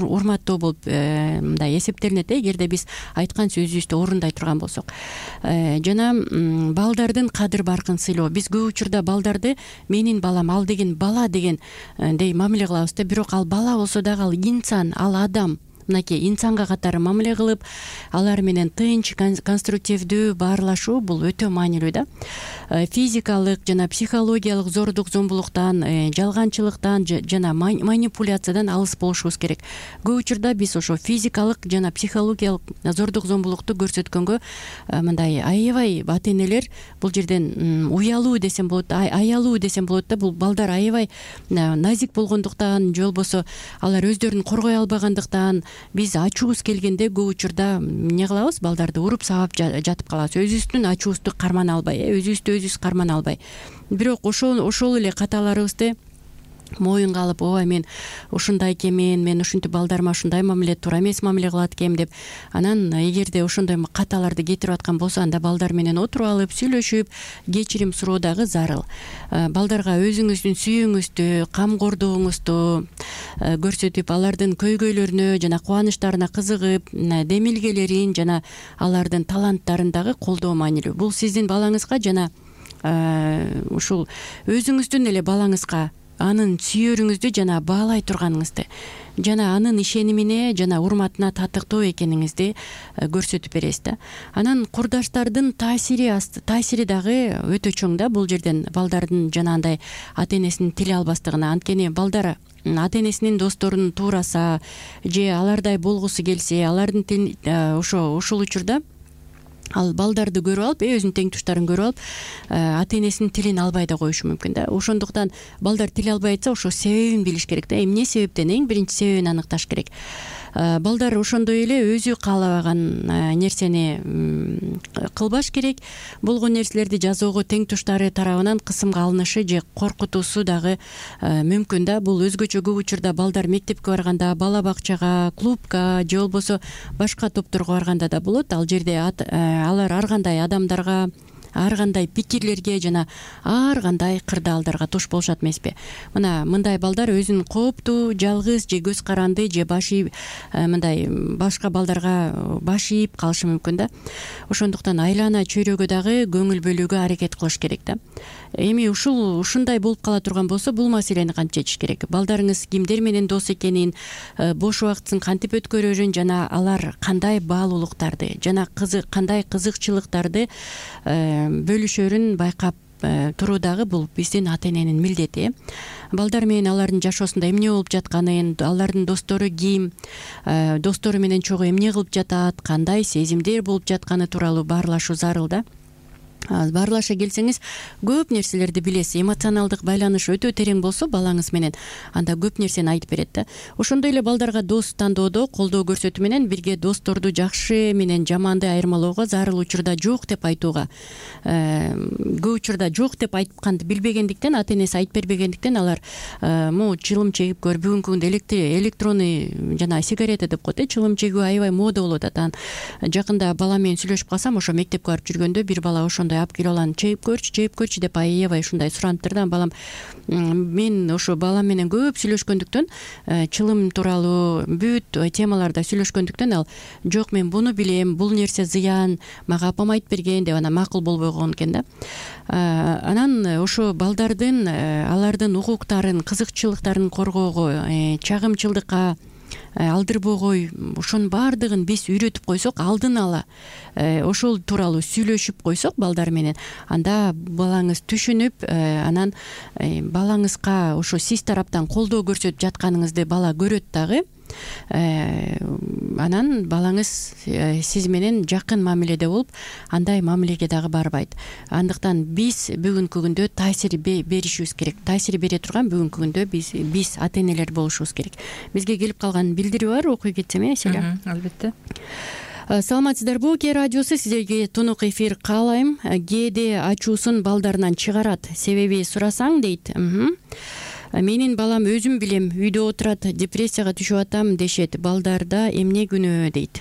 урматтоо болуп мындай эсептелинет, эгерде биз айткан сөзүбүздү орундай турган болсок. Жана балдардын кадыр баркын сыйлоо. Биз көп учурда балдарды менин балам, ал деген бала дегендей мамиле кылабыз да, бирок ал бала болсо дагы ал инсан, ал адам. Мынакей инсанга катары мамиле кылып, алар менен тынч, конструктивдүү баарлашуу бул өтө маанилүү да. Физикалык жана психологиялык зордук зомбулуктан, жалганчылыктан жана манипуляциядан алыс болушубуз керек. Көп учурда биз ошо физикалык жана психологиялык зордук зомбулукту көрсөткөнгө мындай аябай ата энелер бул жерден уялуу десем болот, аялуу десем болот да. Бул балдар аябай назик болгондуктан, же болбосо алар өздөрүн коргой албагандыктан биз ачуубуз келгенде көп учурда эмне кылабыз? Балдарды уруп сабап жатып калабыз. Өзүбүздүн ачуубузду кармана албай, өзүбүздү өзүбүз кармана албай. Бирок ошол эле каталарыбызды моюнга алып, ооба мен ушундай экенмин, мен ушинтип балдарыма ушундай мамиле, туура эмес мамиле кылат экенмин деп, анан эгерде ошондой каталарды кетирип аткан болсо, анда балдар менен отуруп алып, сүйлөшүп, кечирим суроо дагы зарыл. Балдарга өзүңүздүн сүйүүңүздү, камкордугуңузду көрсөтүп, алардын көйгөйлөрүнө жана кубанычтарына кызыгып, демилгелерин жана алардын таланттарын дагы колдоо маанилүү. Бул сиздин балаңызга жана ушул өзүңүздүн эле балаңызга анын сүйөрүңүздү жана баалай турганыңызды, жана анын ишенимине жана урматына татыктуу экениңизди көрсөтүп бересиз да. Анан курдаштардын таасири дагы өтө чоң да. Бул жерден балдардын жанагындай ата энесинин тили албастыгына, анткени балдар ата энесинин досторун туураса же алардай болгусу келсе, алардын тилин ушул учурда ал балдарды көрүп алып, өзүнүн теңтуштарын көрүп алып, ата энесинин тилин албай да коюшу мүмкүн да. Ошондуктан балдар тил албай атса, ошо себебин билиш керек да. Эмне себептен, эң биринчи себебин аныкташ керек. Балдар ошондой эле өзү каалабаган нерсени кылбаш керек. Болгон нерселерди жазоого теңтуштары тарабынан кысымга алынышы же коркутуусу дагы мүмкүн да. Бул өзгөчө көп учурда балдар мектепке барганда, бала бакчага, клубка же болбосо башка топторго барганда да болот. Ал жерде алар ар кандай адамдарга, ар кандай пикирлерге жана ар кандай кырдаалдарга туш болушат эмеспи? Мына мындай балдар өзүн кооптуу, жалгыз же көз каранды же мындай башка балдарга баш ийип калышы мүмкүн да. Ошондуктан айлана чөйрөгө дагы көңүл бөлүүгө аракет кылыш керек да. Эми ушундай болуп кала турган болсо, бул маселени кантип чечиш керек? Балдарыңыз кимдер менен дос экенин, бош убактысын кантип өткөрөрүн жана алар кандай баалуулуктарды жана кандай кызыкчылыктарды бөлүшөрүн байкап туруу дагы бул биздин ата эненин милдети. Балдар менен алардын жашоосунда эмне болуп жатканын, алардын достору ким, достору менен чогуу эмне кылып жатат, кандай сезимдер болуп жатканы тууралуу баарлашуу зарыл да. Баарлаша келсеңиз, көп нерселерди билесиз. Эмоционалдык байланыш өтө терең болсо балаңыз менен, анда көп нерсени айтып берет да. Ошондой эле балдарга дос тандоодо колдоо көрсөтүү менен бирге досторду жакшы менен жаманды айырмалоого, зарыл учурда жок деп айтууга, көп учурда жок деп айтканды билбегендиктен, ата энеси айтып бербегендиктен алар могу чылым чегип көр, бүгүнкү күндө электронный жана сигарета деп коет, чылым чегүү аябай мода болуп атат. Жакында бала менен сүйлөшүп калсам, ошо мектепке барып жүргөндө бир бала ошондой ушундай алып келип алам, чейип көрчү деп аябай ушундай сураныптыр да. Балам, мен ошо балам менен көп сүйлөшкөндүктөн, чылым тууралуу бүт темаларда сүйлөшкөндүктөн ал жок, мен буну билем, бул нерсе зыян, мага апам айтып берген деп анан макул болбой койгон экен да. Анан ошо балдардын алардын укуктарын, кызыкчылыктарын коргоого, чагымчылдыкка алдырбогой, ошонун баардыгын биз үйрөтүп койсок, алдын ала ошол тууралуу сүйлөшүп койсок балдар менен, анда балаңыз түшүнүп, анан балаңызга ошо сиз тараптан колдоо көрсөтүп жатканыңызды бала көрөт дагы. Анан балаңыз сиз менен жакын мамиледе болуп, андай мамилеге дагы барбайт. Андыктан биз бүгүнкү күндө таасир беришибиз керек. Таасир бере турган бүгүнкү күндө биз ата-энелер болушубуз керек. Бизге келип калган билдирүү бар, окуй кетсем, Селя? Албетте. Саламатсыздарбы, Кээ радиосу сиздерге тунук эфир каалайм. Кээде ачуусун балдарынан чыгарат, себеби сурасаң дейт. Менин балам өзүм билем, үйдө отурат, депрессияга түшүп атам дешет. Балдарда эмне күнөө дейт.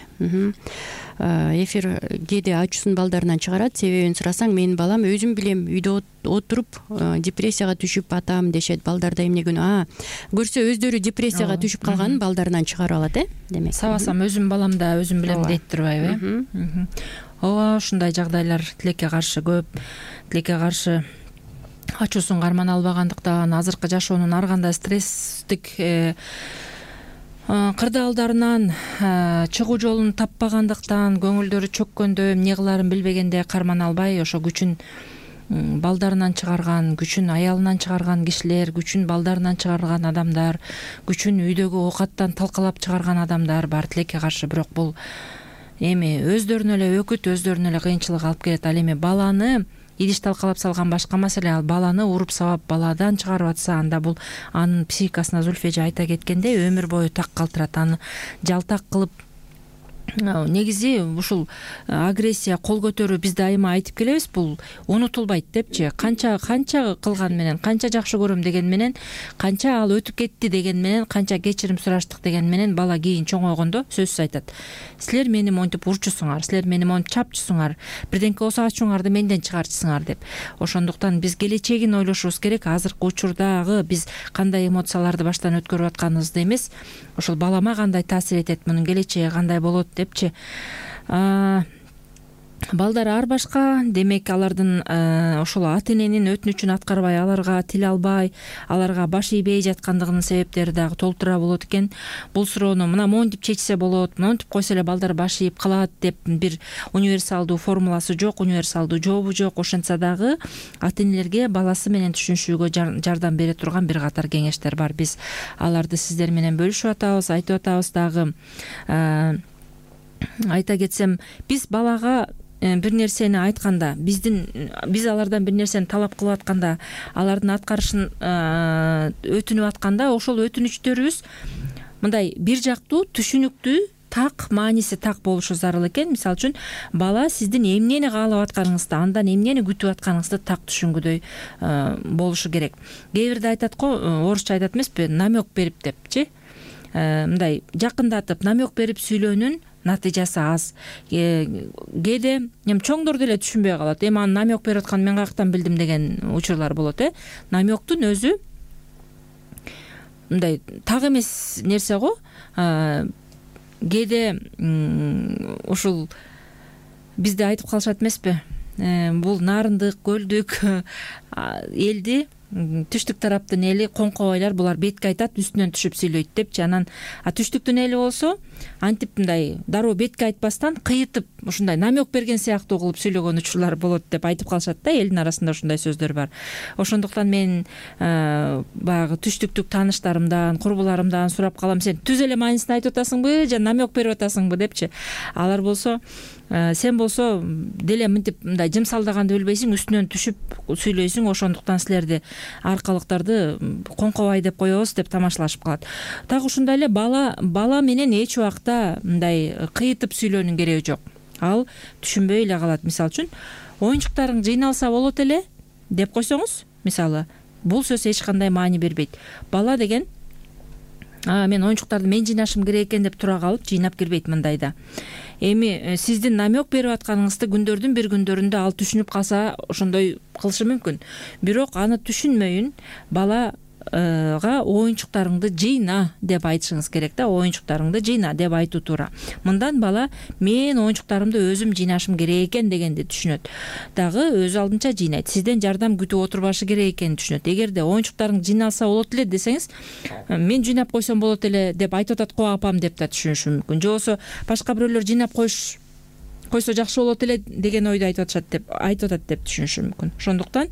Эфир кээде ачуусун балдарынан чыгарат, себебин сурасаң, менин балам өзүм билем, үйдө отуруп депрессияга түшүп атам дешет. Балдарда эмне күнөө? Көрсө өздөрү депрессияга түшүп калганын балдарынан чыгарып алат, демек. Сабасам өзүм баламда өзүм билем дейт турбайбы? Ооба, ушундай жагдайлар тилекке каршы көп. Тилекке каршы ачуусун кармана албагандыктан, азыркы жашоонун ар кандай стресстик кырдаалдарынан чыгуу жолун таппагандыктан, көңүлдөрү чөккөндө, эмне кылаарын билбегенде кармана албай, ошо күчүн балдарынан чыгарган, күчүн аялынан чыгарган кишилер, күчүн балдарынан чыгарган адамдар, күчүн үйдөгү оокаттан талкалап чыгарган адамдар бар тилекке каршы. Бирок бул эми өздөрүнө эле өкүт, өздөрүнө эле кыйынчылык алып келет. Ал эми баланы идиш талкалап салган башка маселе, ал баланы уруп сабап баладан чыгарып атса, анда бул анын психикасына Зульфия айта кеткендей өмүр бою так калтырат, аны жалтак кылып. Негизи ушул агрессия, кол көтөрүү биз дайыма айтып келебиз, бул унутулбайт депчи. Канча кылган менен, канча жакшы көрөм деген менен, канча ал өтүп кетти деген менен, канча кечирим сураштык деген менен бала кийин чоңойгондо сөзсүз айтат. Силер мени монтип урчусуңар, силер мени монтип чапчысуңар, бирденке болсо ачууңарды менден чыгарчысыңар деп. Ошондуктан биз келечегин ойлошубуз керек. Азыркы учурдагы биз кандай эмоцияларды баштан өткөрүп атканыбызды эмес, ошол балама кандай таасир этет, мунун келечеги кандай болот депчи. Балдар ар башка, демек алардын ошол ата-эненин өтүнүчүн аткарбай, аларга тил албай, аларга баш ийбей жаткандыгынын себептери дагы толтура болот экен. Бул суроону мына монтип чечсе болот, монтип койсо эле балдар баш ийип калат деп бир универсалдуу формуласы жок, универсалдуу жообу жок. Ошентсе дагы ата-энелерге баласы менен түшүнүшүүгө жардам бере турган бир катар кеңештер бар. Биз аларды сиздер менен бөлүшүп атабыз, айтып атабыз дагы. Айта кетсем, биз балага бир нерсени айтканда, биз алардан бир нерсени талап кылып атканда, алардын аткарышын өтүнүп атканда, ошол өтүнүчтөрүбүз мындай бир жактуу, түшүнүктүү, так, мааниси так болушу зарыл экен. Мисалы үчүн, бала сиздин эмнени каалап атканыңызды, андан эмнени күтүп атканыңызды так түшүнгүдөй болушу керек. Кээ бирде айтат го, орусча айтат эмеспи, намек берип депчи. Мындай жакындатып, намек берип сүйлөөнүн натыйжасы аз. Кээде чоңдор деле түшүнбөй калат. Эми аны намек берип атканын мен каяктан билдим деген учурлар болот. Намектун өзү мындай так эмес нерсе го. Кээде ушул бизде айтып калышат эмеспи? Бул нарындык, көлдүк элди, түштүк тараптын эли, коңкобайлар, булар бетке айтат, үстүнөн түшүп сүйлөйт депчи. Анан түштүктүн эли болсо антип мындай дароо бетке айтпастан кыйытып, ушундай намек берген сыяктуу кылып сүйлөгөн учурлар болот деп айтып калышат да, элдин арасында ушундай сөздөр бар. Ошондуктан мен баягы түштүктүк тааныштарымдан, курбуларымдан сурап калам, сен түз эле маанисин айтып атасыңбы же намек берип атасыңбы депчи. Алар болсо сен болсо деле мынтип мындай жымсалдаганды билбейсиң, үстүнөн түшүп сүйлөйсүң, ошондуктан силерди аркалыктарды коңкобай деп коебуз деп тамашалашып калат. Так ушундай эле бала менен эч убакта мындай кыйытып сүйлөөнүн кереги жок. Ал түшүнбөй эле калат. Мисалы үчүн, оюнчуктарың жыйналса болот эле деп койсоңуз, мисалы, бул сөз эч кандай маани бербейт. Бала деген мен оюнчуктарды мен жыйнашым керек экен деп тура калып жыйнап келбейт мындайда. эми сиздин намек берип атканыңызды күндөрдүн бир күндөрүндө ал түшүнүп калса ошондой кылышы мүмкүн. Бирок аны түшүнмөйүн балага оюнчуктарыңды жыйна деп айтышыңыз керек да. Оюнчуктарыңды жыйна деп айтуу туура. Мындан бала мен оюнчуктарымды өзүм жыйнашым керек экен дегенди түшүнөт. Дагы өз алдынча жыйнайт. Сизден жардам күтүп отурбашы керек экенин түшүнөт. Эгерде оюнчуктарың жыйналса болот эле десеңиз, мен жыйнап койсом болот эле деп айтып атат го апам деп да түшүнүшү мүмкүн. Же болбосо башка бирөөлөр жыйнап койсо жакшы болот эле деген ойду айтып атат деп түшүнүшү мүмкүн. Ошондуктан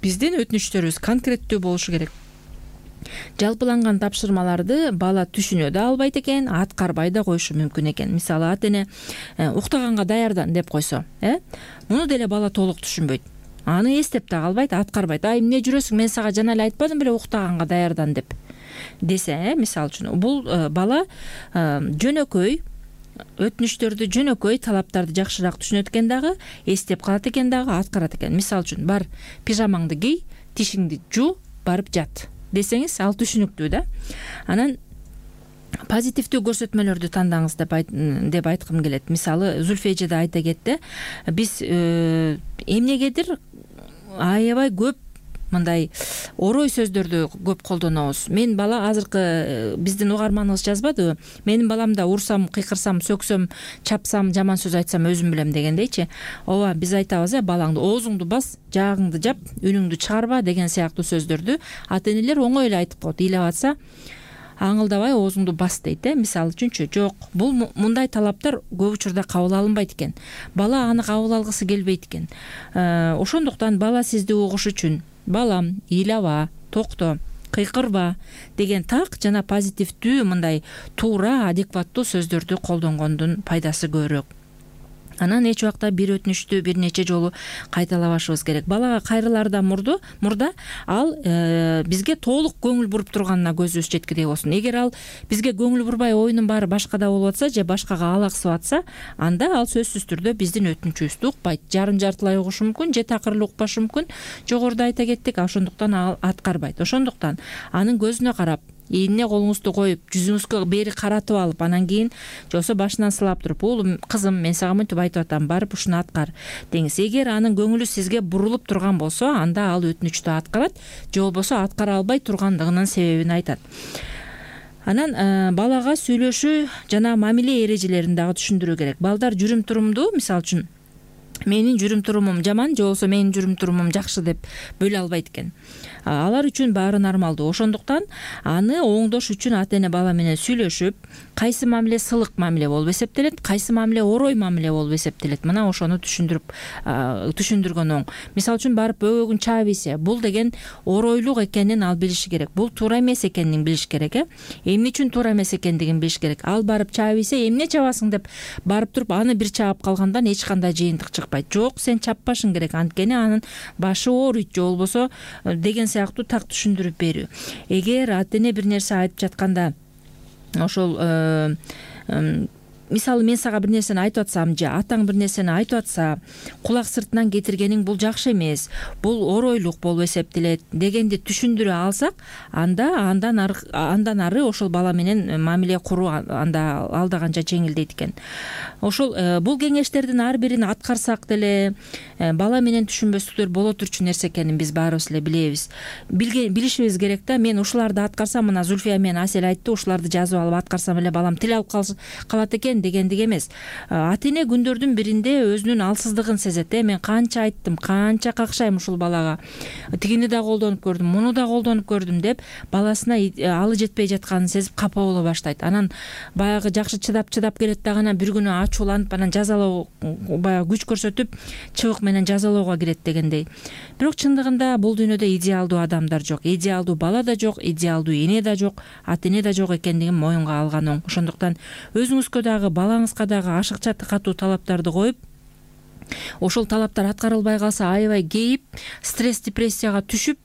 биздин өтүнүчтөрүбүз конкреттүү болушу керек. Жалпыланган тапшырмаларды бала түшүнө да албайт экен, аткарбай да коюшу мүмкүн экен. Мисалы ата-эне уктаганга даярдан деп койсо, муну деле бала толук түшүнбөйт. Аны эстеп да калбайт, аткарбайт. Эмне жүрөсүң, мен сага жана эле айтпадым беле уктаганга даярдан деп десе, мисалы үчүн бул бала жөнөкөй өтүнүчтөрдү, жөнөкөй талаптарды жакшыраак түшүнөт экен дагы, эстеп калат экен дагы, аткарат экен. Мисалы үчүн бар, пижамаңды кий, тишиңди жуу, барып жат десеңиз, ал түшүнүктүү да. Анан позитивдүү көрсөтмөлөрдү тандаңыз деп айткым келет. Мисалы, Зүлфия эже да айта кетти. Биз эмнегедир аябай көп мындай орой сөздөрдү көп колдонобуз. Мен бала азыркы биздин угарманыбыз жазбадыбы? Менин баламда урсам, кыйкырсам, сөксөм, чапсам, жаман сөз айтсам өзүм билем дегендейчи. Ооба, биз айтабыз, балаңды оозуңду бас, жаагыңды жап, үнүңдү чыгарба деген сыяктуу сөздөрдү ата-энелер оңой эле айтып коет. Ыйлап атса, аңылдабай оозуңду бас дейт. Мисалы үчүнчү, жок, бул мындай талаптар көп учурда кабыл алынбайт экен. Бала аны кабыл алгысы келбейт экен. Ошондуктан бала сизди угуш үчүн балам, ыйлаба, токто, кыйкырба деген так жана позитивдүү мындай туура, адекваттуу сөздөрдү колдонгондун пайдасы көбүрөөк. Анан эч убакта бир өтүнүчтү бир нече жолу кайталабашыбыз керек. Балага кайрылаардан мурда ал бизге толук көңүл буруп турганына көзүбүз жеткидей болсун. Эгер ал бизге көңүл бурбай, оюнун баары башкада болуп атса же башкага алаксып атса, анда ал сөзсүз түрдө биздин өтүнүчүбүздү укпайт. Жарым-жартылай угушу мүмкүн, же такыр укпашы мүмкүн. Жогоруда айта кеттик, ошондуктан ал аткарбайт. Ошондуктан анын көзүнө карап, ийине колуңузду коюп, жүзүңүзгө бери каратып алып, анан кийин же болбосо башынан сылап туруп, уулум, кызым, мен сага мынтип айтып атам, барып ушуну аткар деңиз. Эгер анын көңүлү сизге бурулуп турган болсо, анда ал өтүнүчтү аткарат, же болбосо аткара албай тургандыгынын себебин айтат. Анан балага сүйлөшүү жана мамиле эрежелерин дагы түшүндүрүү керек. Балдар жүрүм-турумду, мисалы үчүн, менин жүрүм-турумум жаман же болбосо менин жүрүм-турумум жакшы деп бөлө албайт экен. Алар үчүн баары нормалдуу. Ошондуктан аны оңдош үчүн ата-эне бала менен сүйлөшүп, кайсы мамиле сылык мамиле болуп эсептелет, кайсы мамиле орой мамиле болуп эсептелет. Мына ошону түшүндүргөн оң. Мисалы үчүн барып бөбөгүн чаап ийсе, бул деген оройлук экенин ал билиши керек. Бул туура эмес экенин билиш керек. Эмне үчүн туура эмес экендигин билиш керек. Ал барып чаап ийсе, эмне чабасың деп барып туруп аны бир чаап калгандан эч кандай жыйынтык чыкпайт. Жок, сен чаппашың керек, анткени анын башы ооруйт же болбосо деген сыяктуу так түшүндүрүп берүү. Эгер ата-эне бир нерсе айтып жатканда ошол мисалы мен сага бир нерсени айтып атсам же атаң бир нерсени айтып атса, кулак сыртынан кетиргениң бул жакшы эмес, бул оройлук болуп эсептелет дегенди түшүндүрө алсак, андан ары ошол бала менен мамиле куруу анда алда канча жеңилдейт экен. Ошол бул кеңештердин ар бирин аткарсак деле бала менен түшүнбөстүктөр боло турчу нерсе экенин биз баарыбыз эле билебиз. Билишибиз керек да. Мен ушуларды аткарсам, мына Зүлфия менен Асель айтты, ушуларды жазып алып аткарсам эле балам тил алып калат экен дегендик эмес. Ата-эне күндөрдүн биринде өзүнүн алсыздыгын сезет. Мен канча айттым, канча какшайм ушул балага. Тигини да колдонуп көрдүм, муну да колдонуп көрдүм деп баласына алы жетпей жатканын сезип капа боло баштайт. Анан баягы жакшы чыдап келет дагы анан бир күнү ачууланып, анан жазалоо, баягы күч көрсөтүп, чыбык менен жазалоого кирет дегендей. Бирок чындыгында бул дүйнөдө идеалдуу адамдар жок, идеалдуу бала да жок, идеалдуу эне да жок, ата-эне да жок экендигин моюнга алган оң. Ошондуктан өзүңүзгө дагы, балаңызга дагы ашыкча катуу талаптарды коюп, ошол талаптар аткарылбай калса аябай кейип, стресс, депрессияга түшүп,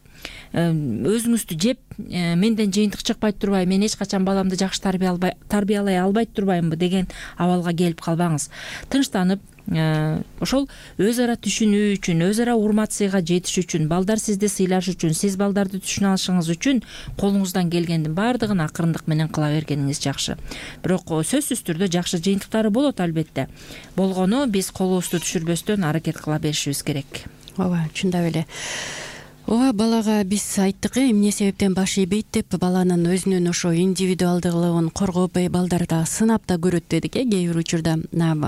өзүңүздү жеп, менден жыйынтык чыкпай турбайбы, мен эч качан баламды жакшы тарбиялай албай турбаймынбы деген абалга келип калбаңыз. Тынчтанып, ошол өз ара түшүнүү үчүн, өз ара урмат-сыйга жетиш үчүн, балдар сизди сыйлаш үчүн, сиз балдарды түшүнө алышыңыз үчүн колуңуздан келгендин баардыгын акырындык менен кыла бергениңиз жакшы. Бирок сөзсүз түрдө жакшы жыйынтыктары болот албетте. Болгону биз колубузду түшүрбөстөн аракет кыла беришибиз керек. Ооба, чындап эле. Ооба, балага биз айттык, эмне себептен баш ийбейт деп, баланын өзүнүн ошо индивидуалдуулугун коргоп, балдарда сынап да көрөт дедик. Кээ бир учурда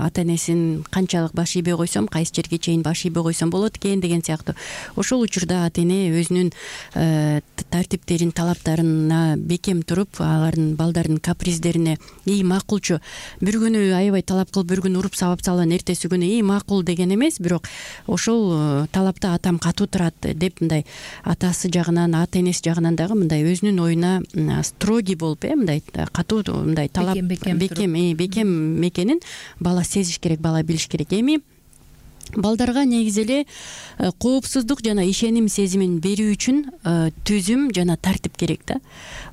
ата энесин канчалык баш ийбей койсом, кайсы жерге чейин баш ийбей койсом болот экен деген сыяктуу. Ошол учурда ата эне өзүнүн тартиптерин, талаптарына бекем туруп, алардын балдардын каприздерине макулчу. Бир күнү аябай талап кылып, бир күнү уруп сабап салган, эртеси күнү макул деген эмес, бирок ошол талапта атам катуу турат деп, мындай атасы жагынан, ата энеси жагынан дагы мындай өзүнүн оюна строгий болуп, мындай катуу, мындай талап бекем экенин бала сезиш керек, бала билиш керек. Эми балдарга негизи эле коопсуздук жана ишеним сезимин берүү үчүн түзүм жана тартип керек да.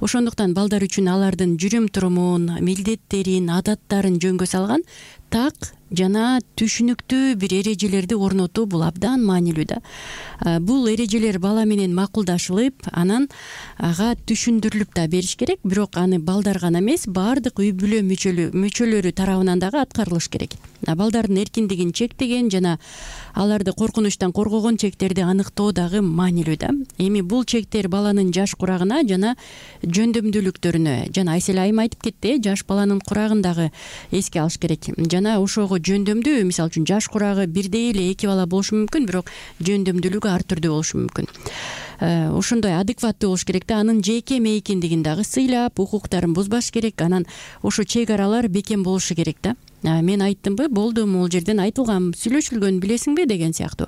Ошондуктан балдар үчүн алардын жүрүм турумун, милдеттерин, адаттарын жөнгө салган так жана түшүнүктүү бир эрежелерди орнотуу бул абдан маанилүү да. Бул эрежелер бала менен макулдашылып, анан ага түшүндүрүлүп да бериш керек, бирок аны балдар гана эмес, баардык үй бүлө мүчөлөрү тарабынан дагы аткарылыш керек. Балдардын эркиндигин чектеген жана аларды коркунучтан коргогон чектерди аныктоо дагы маанилүү да. Эми бул чектер баланын жаш курагына жана жөндөмдүүлүктөрүнө, жана Айсель айым айтып кетти, жаш баланын курагын дагы эске алыш керек. Жана ошого жөндөмдүү, мисалы үчүн жаш курагы бирдей эле эки бала болушу мүмкүн, бирок жөндөмдүүлүгү ар түрдүү болушу мүмкүн. Ошондой адекваттуу болуш керек да. Анын жеке мейкиндигин дагы сыйлап, укуктарын бузбаш керек. Анан ошо чек аралар бекем болушу керек да. Мен айттымбы, болду, могул жерден айтылган, сүйлөшүлгөн, билесиңби деген сыяктуу.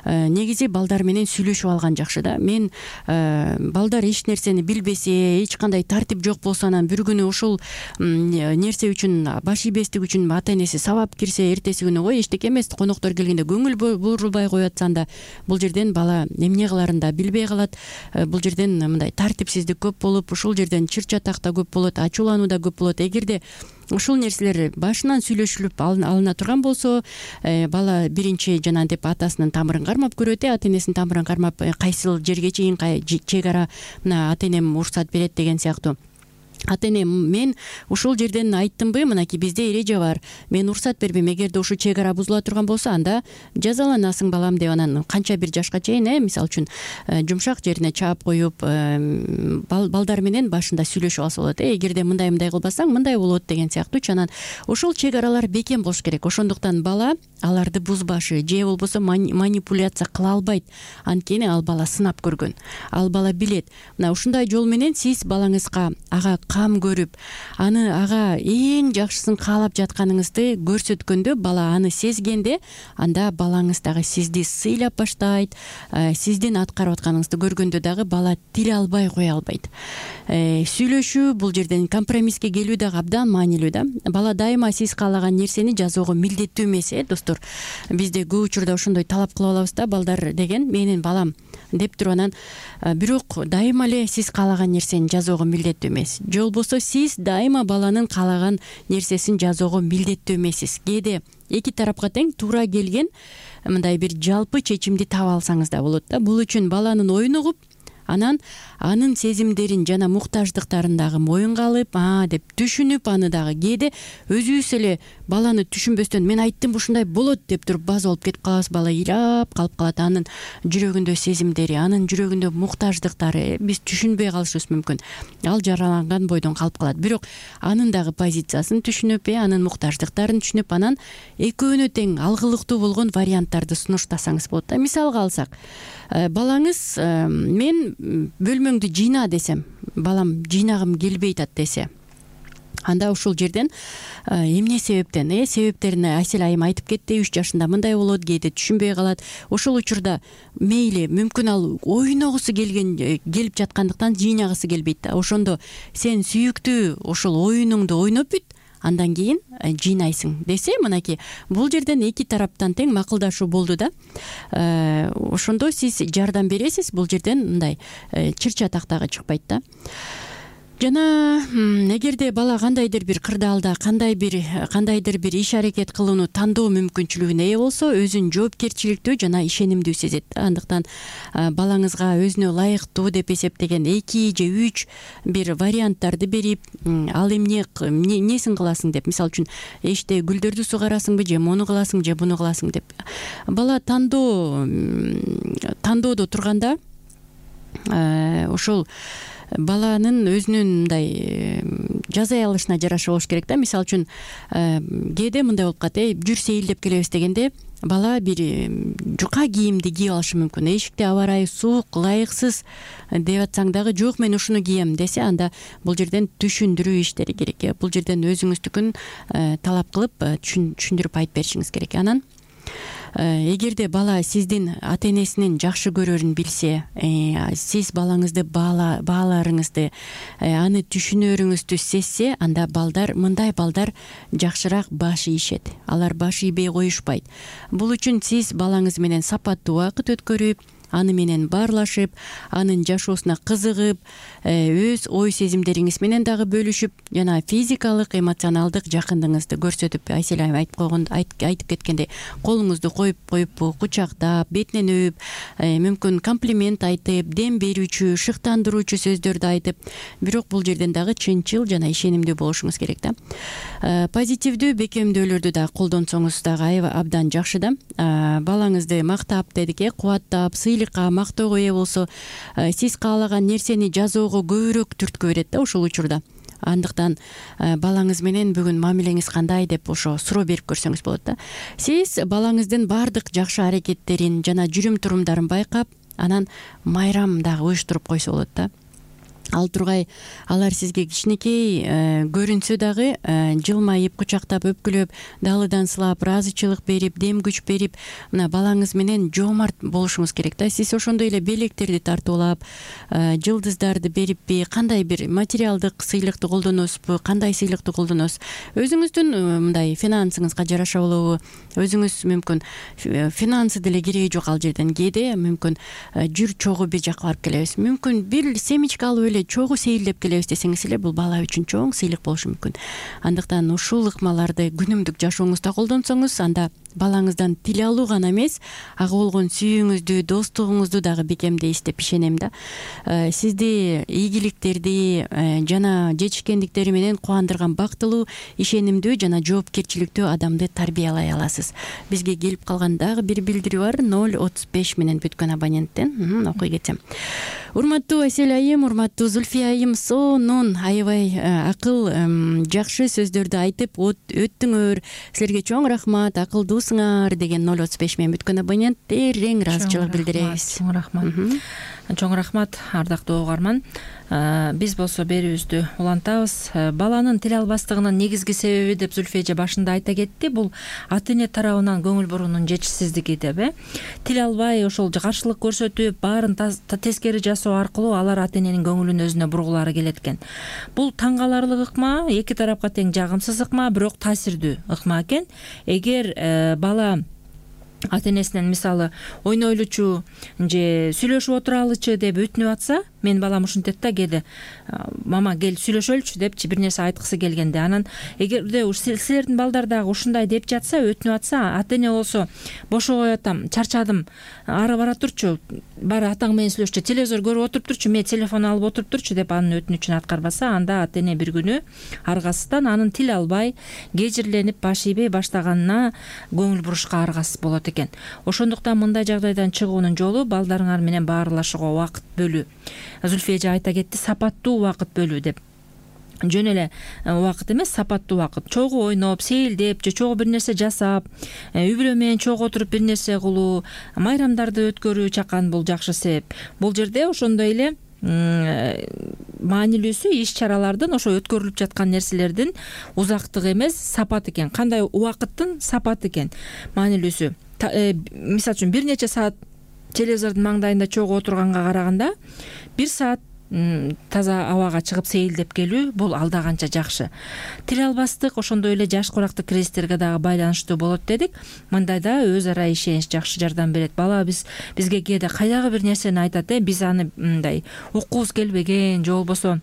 Негизи балдар менен сүйлөшүп алган жакшы да. Мен балдар эч нерсени билбесе, эч кандай тартип жок болсо, анан бир күнү ошол нерсе үчүн, баш ийбестик үчүн ата энеси сабап кирсе, эртеси күнү ой эчтеке эмес, коноктор келгенде көңүл бурулбай коюп атсаң да, бул жерден бала эмне кыларын да билбей калат. Бул жерден мындай тартипсиздик көп болуп, ушул жерден чыр чатак да көп болот, ачуулануу да көп болот. Эгерде ушул нерселер башынан сүйлөшүлүп алына турган болсо, бала биринчи жана деп атасынын тамырын кармап көрөт, ата энесинин тамырын кармап, кайсыл жерге чейин чек ара мына ата энем уруксат берет деген сыяктуу. Ата эне, мен ушул жерден айттымбы, мынакей бизде эреже бар, мен уруксат бербейм, эгерде ушул чек ара бузула турган болсо, анда жазаланасың балам деп, анан канча бир жашка чейин, мисалы үчүн жумшак жерине чаап коюп, балдар менен башында сүйлөшүп алса болот. Эгерде мындай кылбасаң, мындай болот деген сыяктуучу. Анан ошол чек аралар бекем болуш керек. Ошондуктан бала аларды бузбашы же болбосо манипуляция кыла албайт. Анткени ал бала сынап көргөн, ал бала билет. Мына ушундай жол менен сиз балаңызга ага кам көрүп, аны ага эң жакшысын каалап жатканыңызды көрсөткөндө, бала аны сезгенде, анда балаңыз дагы сизди сыйлап баштайт. Сиздин аткарып атканыңызды көргөндө дагы бала тил албай кое албайт. Сүйлөшүү, бул жерден компромисске келүү дагы абдан маанилүү да. Бала дайыма сиз каалаган нерсени жазоого милдеттүү эмес, достор. Бизде көп учурда ошондой талап кылып алабыз да, балдар деген менин балам деп туруп, анан бирок дайыма эле сиз каалаган нерсени жазоого милдеттүү эмес. Же болбосо сиз дайыма баланын каалаган нерсесин жазоого милдеттүү эмессиз. Кээде эки тарапка тең туура келген мындай бир жалпы чечимди таба алсаңыз да болот да. Бул үчүн баланын оюн угуп, анан анын сезимдерин жана муктаждыктарын дагы моюнга алып, деп түшүнүп, аны дагы кээде өзүбүз эле баланы түшүнбөстөн мен айттым ушундай болот деп туруп база болуп кетип калабыз. Бала ыйлап калып калат, анын жүрөгүндө сезимдери, анын жүрөгүндө муктаждыктары биз түшүнбөй калышыбыз мүмкүн. Ал жараланган бойдон калып калат. Бирок анын дагы позициясын түшүнүп, анын муктаждыктарын түшүнүп, анан экөөнө тең алгылыктуу болгон варианттарды сунуштасаңыз болот да. Мисалга алсак, балаңыз мен бөлмөңдү жыйна десем, балам жыйнагым келбей атат десе, анда ушул жерден эмне себептен, себептерин Айсель айым айтып кетти. 3 жашында мындай болот, кээде түшүнбөй калат. Ошол учурда мейли, мүмкүн ал ойногусу келип жаткандыктан жыйнагысы келбейт да. Ошондо сен сүйүктүү ошол оюнуңду ойноп бүт, андан кийин жыйнайсың десе, мынакей бул жерден эки тараптан тең макулдашуу болду да. Ошондо сиз жардам бересиз, бул жерден мындай чыр чатак дагы чыкпайт да. жана эгерде бала кандайдыр бир кырдаалда кандайдыр бир иш аракет кылууну тандоо мүмкүнчүлүгүнө ээ болсо өзүн жоопкерчиликтүү жана ишенимдүү сезет. Андыктан балаңызга өзүнө ылайыктуу деп эсептеген 2 же 3 бир варианттарды берип, ал эмнесин кыласың деп, мисалы үчүн эшикте гүлдөрдү сугарасыңбы же муну кыласың же буну кыласың деп, бала тандоодо турганда ошол баланын өзүнүн мындай жазай алышына жараша болуш керек да. Мисалы үчүн кээде мындай болуп калат, жүр сейилдеп келебиз дегенде бала бир жука кийимди кийип алышы мүмкүн. Эшикте аба ырайы суук, ылайыксыз деп атсаң дагы жок мен ушуну кием десе, анда бул жерден түшүндүрүү иштери керек. Бул жерден өзүңүздүкүн талап кылып түшүндүрүп айтып беришиңиз керек. Анан эгерде бала сиздин ата энесинин жакшы көрөрүн билсе, сиз балаңызды бааларыңызды, аны түшүнөрүңүздү сезсе, анда мындай балдар жакшыраак баш ийишет. Алар баш ийбей коюшпайт. Бул үчүн сиз балаңыз менен сапаттуу убакыт өткөрүп, аны менен баарлашып, анын жашоосуна кызыгып, өз ой сезимдериңиз менен дагы бөлүшүп, жана физикалык, эмоционалдык жакындыгыңызды көрсөтүп, Айсель айым айтып кеткендей, колуңузду коюп кучактап, бетинен өп, мүмкүн комплимент айтып, дем берүүчү, шыктандыруучу сөздөрдү айтып, бирок бул жерден дагы чынчыл жана ишенимдүү болушуңуз керек да. Позитивдүү бекемдөөлөрдү да колдонсоңуз дагы абдан жакшы да. Балаңызды мактап дедик, кубаттап, мактоого ээ болсо, сиз каалаган нерсени жазоого көбүрөөк түрткү берет да ошол учурда. Андыктан балаңыз менен бүгүн мамилеңиз кандай деп ошо суроо берип көрсөңүз болот да. Сиз балаңыздын баардык жакшы аракеттерин жана жүрүм турумдарын байкап, анан майрам дагы уюштуруп койсо болот да. Ал тургай алар сизге кичинекей көрүнсө дагы жылмайып, кучактап, өпкүлөп, далыдан сылап, ыраазычылык берип, дем күч берип, мына балаңыз менен жоомарт болушуңуз керек да. Сиз ошондой эле белектерди тартуулап, жылдыздарды бериппи, кандай бир материалдык сыйлыкты колдоносузбу, кандай сыйлыкты колдоносуз? Өзүңүздүн мындай финансыңызга жараша болобу? Өзүңүз мүмкүн финансы деле кереги жок ал жерден. Кээде мүмкүн жүр чогуу бир жакка барып келебиз. Мүмкүн бир семечка алып эле чогуу сейилдеп келебиз десеңиз эле, бул бала үчүн чоң сыйлык болушу мүмкүн. Андыктан ушул ыкмаларды күнүмдүк жашооңузда колдонсоңуз, анда балаңыздан тил алуу гана эмес, ага болгон сүйүүңүздү, достугуңузду дагы бекемдейсиз деп ишенем да. Сизди ийгиликтерди жана жетишкендиктери менен кубандырган бактылуу, ишенимдүү жана жоопкерчиликтүү адамды тарбиялай аласыз. Бизге келип калган дагы бир билдирүү бар, 035 менен бүткөн абоненттен. Окуй кетсем. Урматтуу Айсель айым, урматтуу Зульфия айым, сонун аябай акыл жакшы сөздөрдү айтып өттүңөр. Силерге чоң рахмат, акылдуусуңар деген 035 менен бүткөн абонент терең ыраазычылык билдиребиз. Чоң рахмат. Чоң рахмат, ардактуу угарман. Биз болсо берүүбүздү улантабыз. Баланын тил албастыгынын негизги себеби деп Зульфия эже башында айта кетти. Бул ата эне тарабынан көңүл буруунун жетишсиздиги деп. Тил албай ошол каршылык көрсөтүп, баарын тескери жасоо аркылуу алар ата эненин көңүлүн өзүнө бургулары келет экен. Бул таң каларлык ыкма, эки тарапка тең жагымсыз ыкма, бирок таасирдүү ыкма экен. Эгер бала ата энесинен мисалы ойнойлучу же сүйлөшүп отуралычы деп өтүнүп атса, мен балам ушинтет да, кээде мама кел сүйлөшөлүчү депчи бир нерсе айткысы келгенде, анан эгерде силердин балдар дагы ушундай деп жатса, өтүнүп атса, ата эне болсо бошого атам, чарчадым, ары бара турчу, бар атаң менен сүйлөшчү, телевизор көрүп отуруп турчу, мен телефон алып отуруп турчу деп анын өтүнүчүн аткарбаса, анда ата эне бир күнү аргасыздан анын тил албай, кежирленип, баш ийбей баштаганына көңүл бурушка аргасыз болот экен. Ошондуктан мындай жагдайдан чыгуунун жолу балдарыңар менен баарлашууга убакыт бөлүү. Зульфия эже айта кетти, сапаттуу убакыт бөлүү деп. Жөн эле убакыт эмес, сапаттуу убакыт. Чогуу ойноп, сейилдеп же чогуу бир нерсе жасап, үй бүлө менен чогуу отуруп бир нерсе кылуу, майрамдарды өткөрүү чакан бул жакшы себеп. Бул жерде ошондой эле маанилүүсү иш чаралардын, ошо өткөрүлүп жаткан нерселердин узактыгы эмес, сапат экен. Кандай убакыттын сапат экен маанилүүсү. Мисалы үчүн бир нече саат телевизордун маңдайында чогуу отурганга караганда 1 саат таза абага чыгып сейилдеп келүү бул алда канча жакшы. Тил албастык ошондой эле жаш курактык кризистерге дагы байланыштуу болот дедик. Мындайда өз ара ишенич жакшы жардам берет. Бала бизге кээде кайдагы бир нерсени айтат, биз аны мындай уккубуз келбеген же болбосо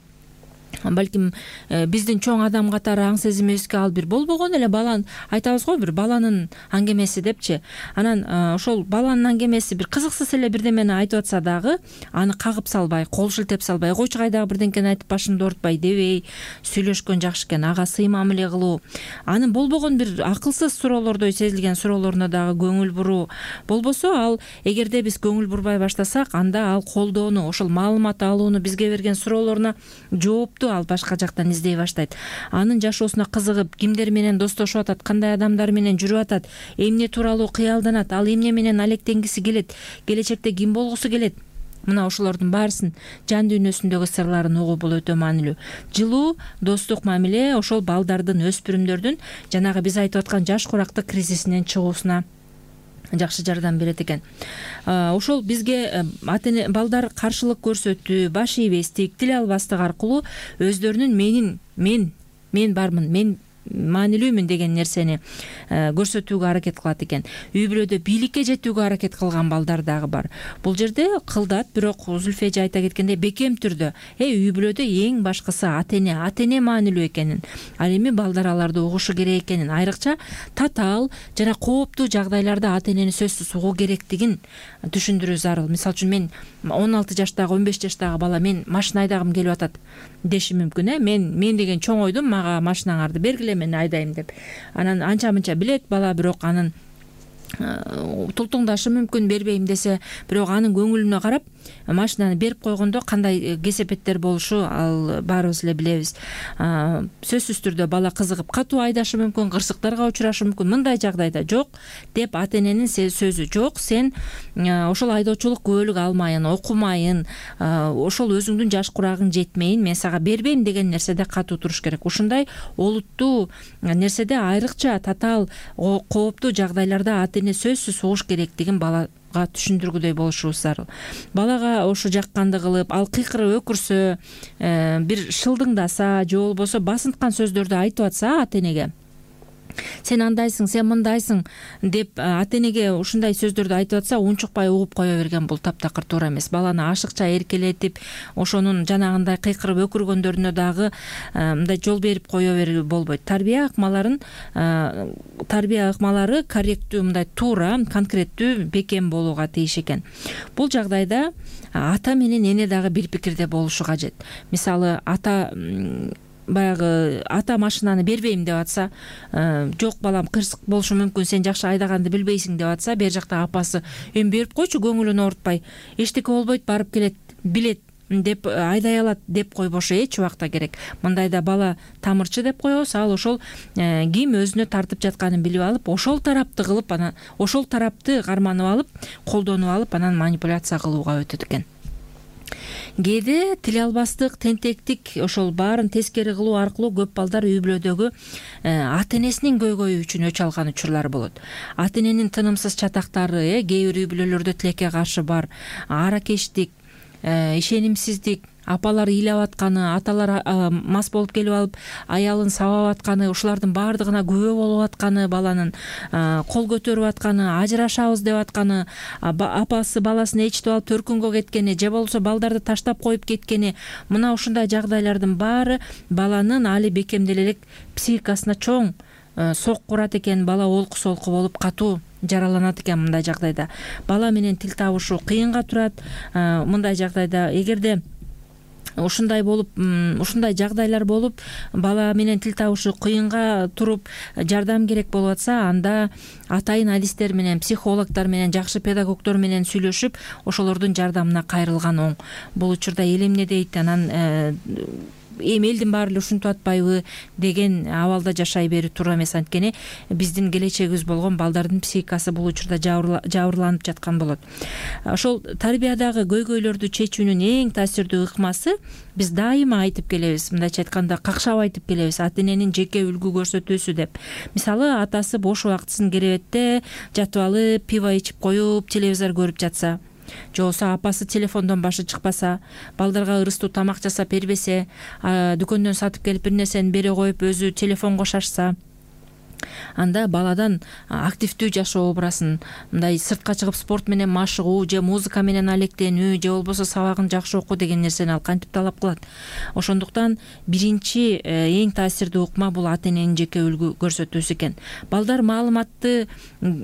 балким биздин чоң адам катары аң сезимибизге ал бир болбогон эле баланы айтабыз го, бир баланын аңгемеси депчи. Анан ошол баланын аңгемеси бир кызыксыз эле бирдемени айтып атса дагы аны кагып салбай, кол шилтеп салбай, койчу кайдагы бирдеңкени айтып башымды оорутпай дебей сүйлөшкөн жакшы экен. Ага сый мамиле кылуу, анын болбогон бир акылсыз суроолордой сезилген суроолоруна дагы көңүл буруу. Болбосо ал эгерде биз көңүл бурбай баштасак, анда ал колдоону, ошол маалымат алууну, бизге берген суроолоруна жоопту ал башка жактан издей баштайт. Анын жашоосуна кызыгып, кимдер менен достошуп атат, кандай адамдар менен жүрүп атат, эмне тууралуу кыялданат, ал эмне менен алектенгиси келет, келечекте ким болгусу келет. Мына ошолордун баарысын, жан дүйнөсүндөгү сырларын угуу бул өтө маанилүү. Жылуу достук мамиле ошол балдардын, өспүрүмдөрдүн жанагы биз айтып аткан жаш курактык кризисинен чыгуусуна жакшы жардам берет экен. Ошол бизге балдар каршылык көрсөтүү, баш ийбестик, тил албастык аркылуу өздөрүнүн мен бармын, мен маанилүүмүн деген нерсени көрсөтүүгө аракет кылат экен. Үй бүлөдө бийликке жетүүгө аракет кылган балдар дагы бар. Бул жерде кылдат, бирок Зүлфия эже айта кеткендей бекем түрдө үй бүлөдө эң башкысы ата эне маанилүү экенин, ал эми балдар аларды угушу керек экенин, айрыкча татаал жана кооптуу жагдайларда ата энени сөзсүз угуу керектигин түшүндүрүү зарыл. Мисалы үчүн мен 16 жаштагы, 15 жаштагы бала мен машина айдагым келип атат деши мүмкүн. Мен деген чоң ойдум, мага машинаңарды бергиле, мен айдайм деп. Анан анча мынча билет бала, бирок анын тултуңдашы мүмкүн, бербейм десе, бирок анын көңүлүнө карап машинаны берип койгондо кандай кесепеттер болушу ал баарыбыз эле билебиз. Сөзсүз түрдө бала кызыгып катуу айдашы мүмкүн, кырсыктарга учурашы мүмкүн. Мындай жагдайда жок деп ата эненин сөзү жок, сен ошол айдоочулук күбөлүк алмайын, окумайын, ошол өзүңдүн жаш курагың жетмейин, мен сага бербейм деген нерседе катуу туруш керек. Ушундай олуттуу нерседе айрыкча татаал кооптуу жагдайларда ата эне сөзсүз угуш керектигин балага түшүндүргүдөй болушубуз зарыл. Балага ошо жакканды кылып, ал кыйкырып өкүрсө, бир шылдыңдаса же болбосо басынткан сөздөрдү айтып атса ата энеге, сен андайсың, сен мындайсың деп ата энеге ушундай сөздөрдү айтып атса, унчукпай угуп кое берген бул таптакыр туура эмес. Баланы ашыкча эркелетип, ошонун жанагындай кыйкырып өкүргөндөрүнө дагы мындай жол берип кое берүү болбойт. Тарбия ыкмалары корректүү, мындай туура, конкреттүү, бекем болууга тийиш экен. Бул жагдайда ата менен эне дагы бир пикирде болушу кажет. Мисалы, баягы ата машинаны бербейм деп атса, жок балам кырсык болушу мүмкүн, сен жакшы айдаганды билбейсиң деп атса, бер жакта апасы эми берип койчу, көңүлүн оорутпай, эчтеке болбойт, барып келет, билет деп айдай алат деп койбошу эч убакта керек. Мындайда бала тамырчы деп коебуз, ал ошол ким өзүнө тартып жатканын билип алып, ошол тарапты кылып, анан ошол тарапты карманып алып, колдонуп алып, анан манипуляция кылууга өтөт экен. Кээде тил албастык, тентектик, ошол баарын тескери кылуу аркылуу көп балдар үй бүлөдөгү ата энесинин көйгөйү үчүн өч алган учурлар болот. Ата эненин тынымсыз чатактары кээ бир үй бүлөлөрдө тилекке каршы бар. Аракештик, ишенимсиздик, апалар ыйлап атканы, аталар мас болуп келип алып аялын сабап атканы, ушулардын баардыгына күбө болуп атканы, баланын кол көтөрүп атканы, ажырашабыз деп атканы, апасы баласын ээрчитип алып төркүнгө кеткени же болбосо балдарды таштап коюп кеткени, мына ушундай жагдайлардын баары баланын али бекемделе элек психикасына чоң сокку урат экен. Бала олку-солку болуп катуу жараланат экен. Мындай жагдайда бала менен тил табышуу кыйынга турат. Мындай жагдайда эгерде ушундай жагдайлар болуп, бала менен тил табышуу кыйынга туруп, жардам керек болуп атса, анда атайын адистер менен, психологдор менен, жакшы педагогдор менен сүйлөшүп, ошолордун жардамына кайрылган оң. Бул учурда эл эмне дейт, анан эми элдин баары эле ушинтип атпайбы деген абалда жашай берүү туура эмес. Анткени биздин келечегибиз болгон балдардын психикасы бул учурда жабырланып жаткан болот. Ошол тарбиядагы көйгөйлөрдү чечүүнүн эң таасирдүү ыкмасы биз дайыма айтып келебиз, мындайча айтканда какшап айтып келебиз, ата эненин жеке үлгү көрсөтүүсү деп. Мисалы, атасы бош убактысын керебетте жатып алып, пиво ичип коюп, телевизор көрүп жатса, же болбосо апасы телефондон башы чыкпаса, балдарга ырыстуу тамак жасап бербесе, дүкөндөн сатып келип бир нерсени бере коюп өзү телефонго шашса, анда баладан активдүү жашоо образын, мындай сыртка чыгып спорт менен машыгуу же музыка менен алектенүү же болбосо сабагын жакшы окуу деген нерсени ал кантип талап кылат. Ошондуктан биринчи эң таасирдүү ыкма бул ата эненин жеке үлгү көрсөтүүсү экен. Балдар маалыматты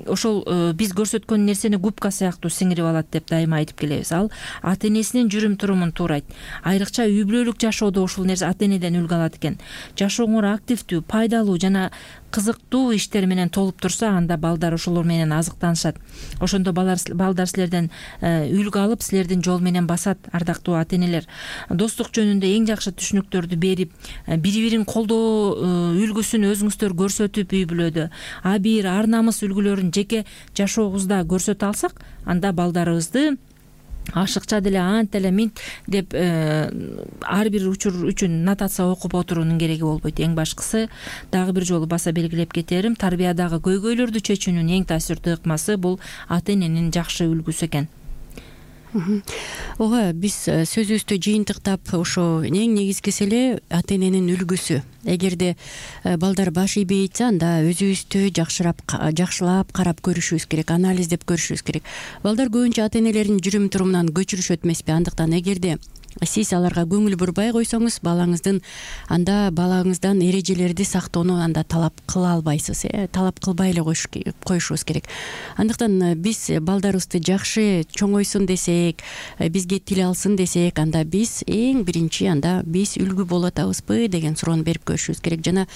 ошол биз көрсөткөн нерсени губка сыяктуу сиңирип алат деп дайыма айтып келебиз. Ал ата энесинин жүрүм турумун туурайт. Айрыкча үй бүлөлүк жашоодо ушул нерсе ата энеден үлгү алат экен. Жашооңор активдүү, пайдалуу жана кызыктуу иштер менен толуп турса, анда балдар ошолор менен азыктанышат. Ошондо балдар силерден үлгү алып, силердин жол менен басат, ардактуу ата энелер. Достук жөнүндө эң жакшы түшүнүктөрдү берип, бири-бирин колдоо үлгүсүн өзүңүздөр көрсөтүп үй бүлөдө абийир ар намыс үлгүлөрүн жеке жашообузда көрсөтө алсак, анда балдарыбызды ашыкча деле ант эле минт деп ар бир учур үчүн нотация окуп отуруунун кереги болбойт. Эң башкысы, дагы бир жолу баса белгилеп кетерим, тарбиядагы көйгөйлөрдү чечүүнүн эң таасирдүү ыкмасы бул ата эненин жакшы үлгүсү экен. Ооба, биз сөзүбүздү жыйынтыктап ошо эң негизгиси эле ата эненин үлгүсү. Эгерде балдар баш ийбей айтса, анда өзүбүздү жакшылап карап көрүшүбүз керек, анализдеп көрүшүбүз керек. Балдар көбүнчө ата энелеринин жүрүм турумунан көчүрүшөт эмеспи? Андыктан эгерде сиз аларга көңүл бурбай койсоңуз, балаңыздан эрежелерди сактоону анда талап кыла албайсыз, талап кылбай эле коюшубуз керек. Андыктан биз балдарыбызды жакшы чоңойсун десек, бизге тил алсын десек, анда биз эң биринчи биз үлгү боло атабызбы деген суроону берип көрүшүбүз керек. Жана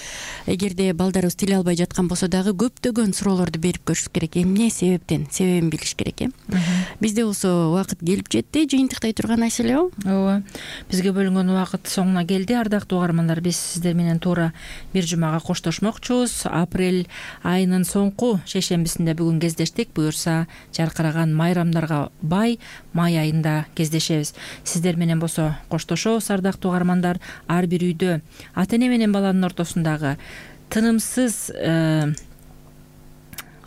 эгерде балдарыбыз тил албай жаткан болсо дагы көптөгөн суроолорду берип көрүшүбүз керек. Эмне себебин билиш керек. Бизде болсо убакыт келип жетти, жыйынтыктай турган маселе. Бизге бөлүнгөн убакыт соңуна келди. Ардактуу угармандар, биз сиздер менен туура бир жумага коштошмокчубуз. Апрель айынын соңку шейшембисинде бүгүн кездештик. Буюрса, жаркыраган майрамдарга бай май айында кездешебиз. Сиздер менен болсо коштошобуз, ардактуу угармандар. Ар бир үйдө ата эне менен баланын ортосундагы тынымсыз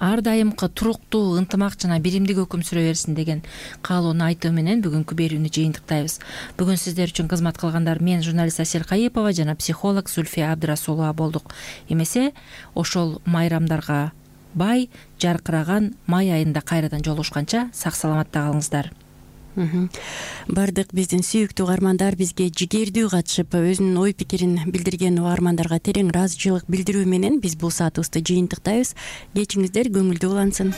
ар дайымкы туруктуу ынтымак жана биримдик өкүм сүрө берсин деген каалоону айтуу менен бүгүнкү берүүнү жыйынтыктайбыз. Бүгүн сиздер үчүн кызмат кылгандар мен, журналист Асель Кайыпова жана психолог Зульфия Абдрасулова болдук. Эмесе, ошол майрамдарга бай жаркыраган май айында кайрадан жолугушканча сак саламатта калыңыздар. Бардык биздин сүйүктүү угармандар бизге жигердүү катышып, өзүнүн ой пикирин билдирген угармандарга терең ыраазычылык билдирүү менен биз бул саатыбызды жыйынтыктайбыз. Кечиңиздер көңүлдүү улансын.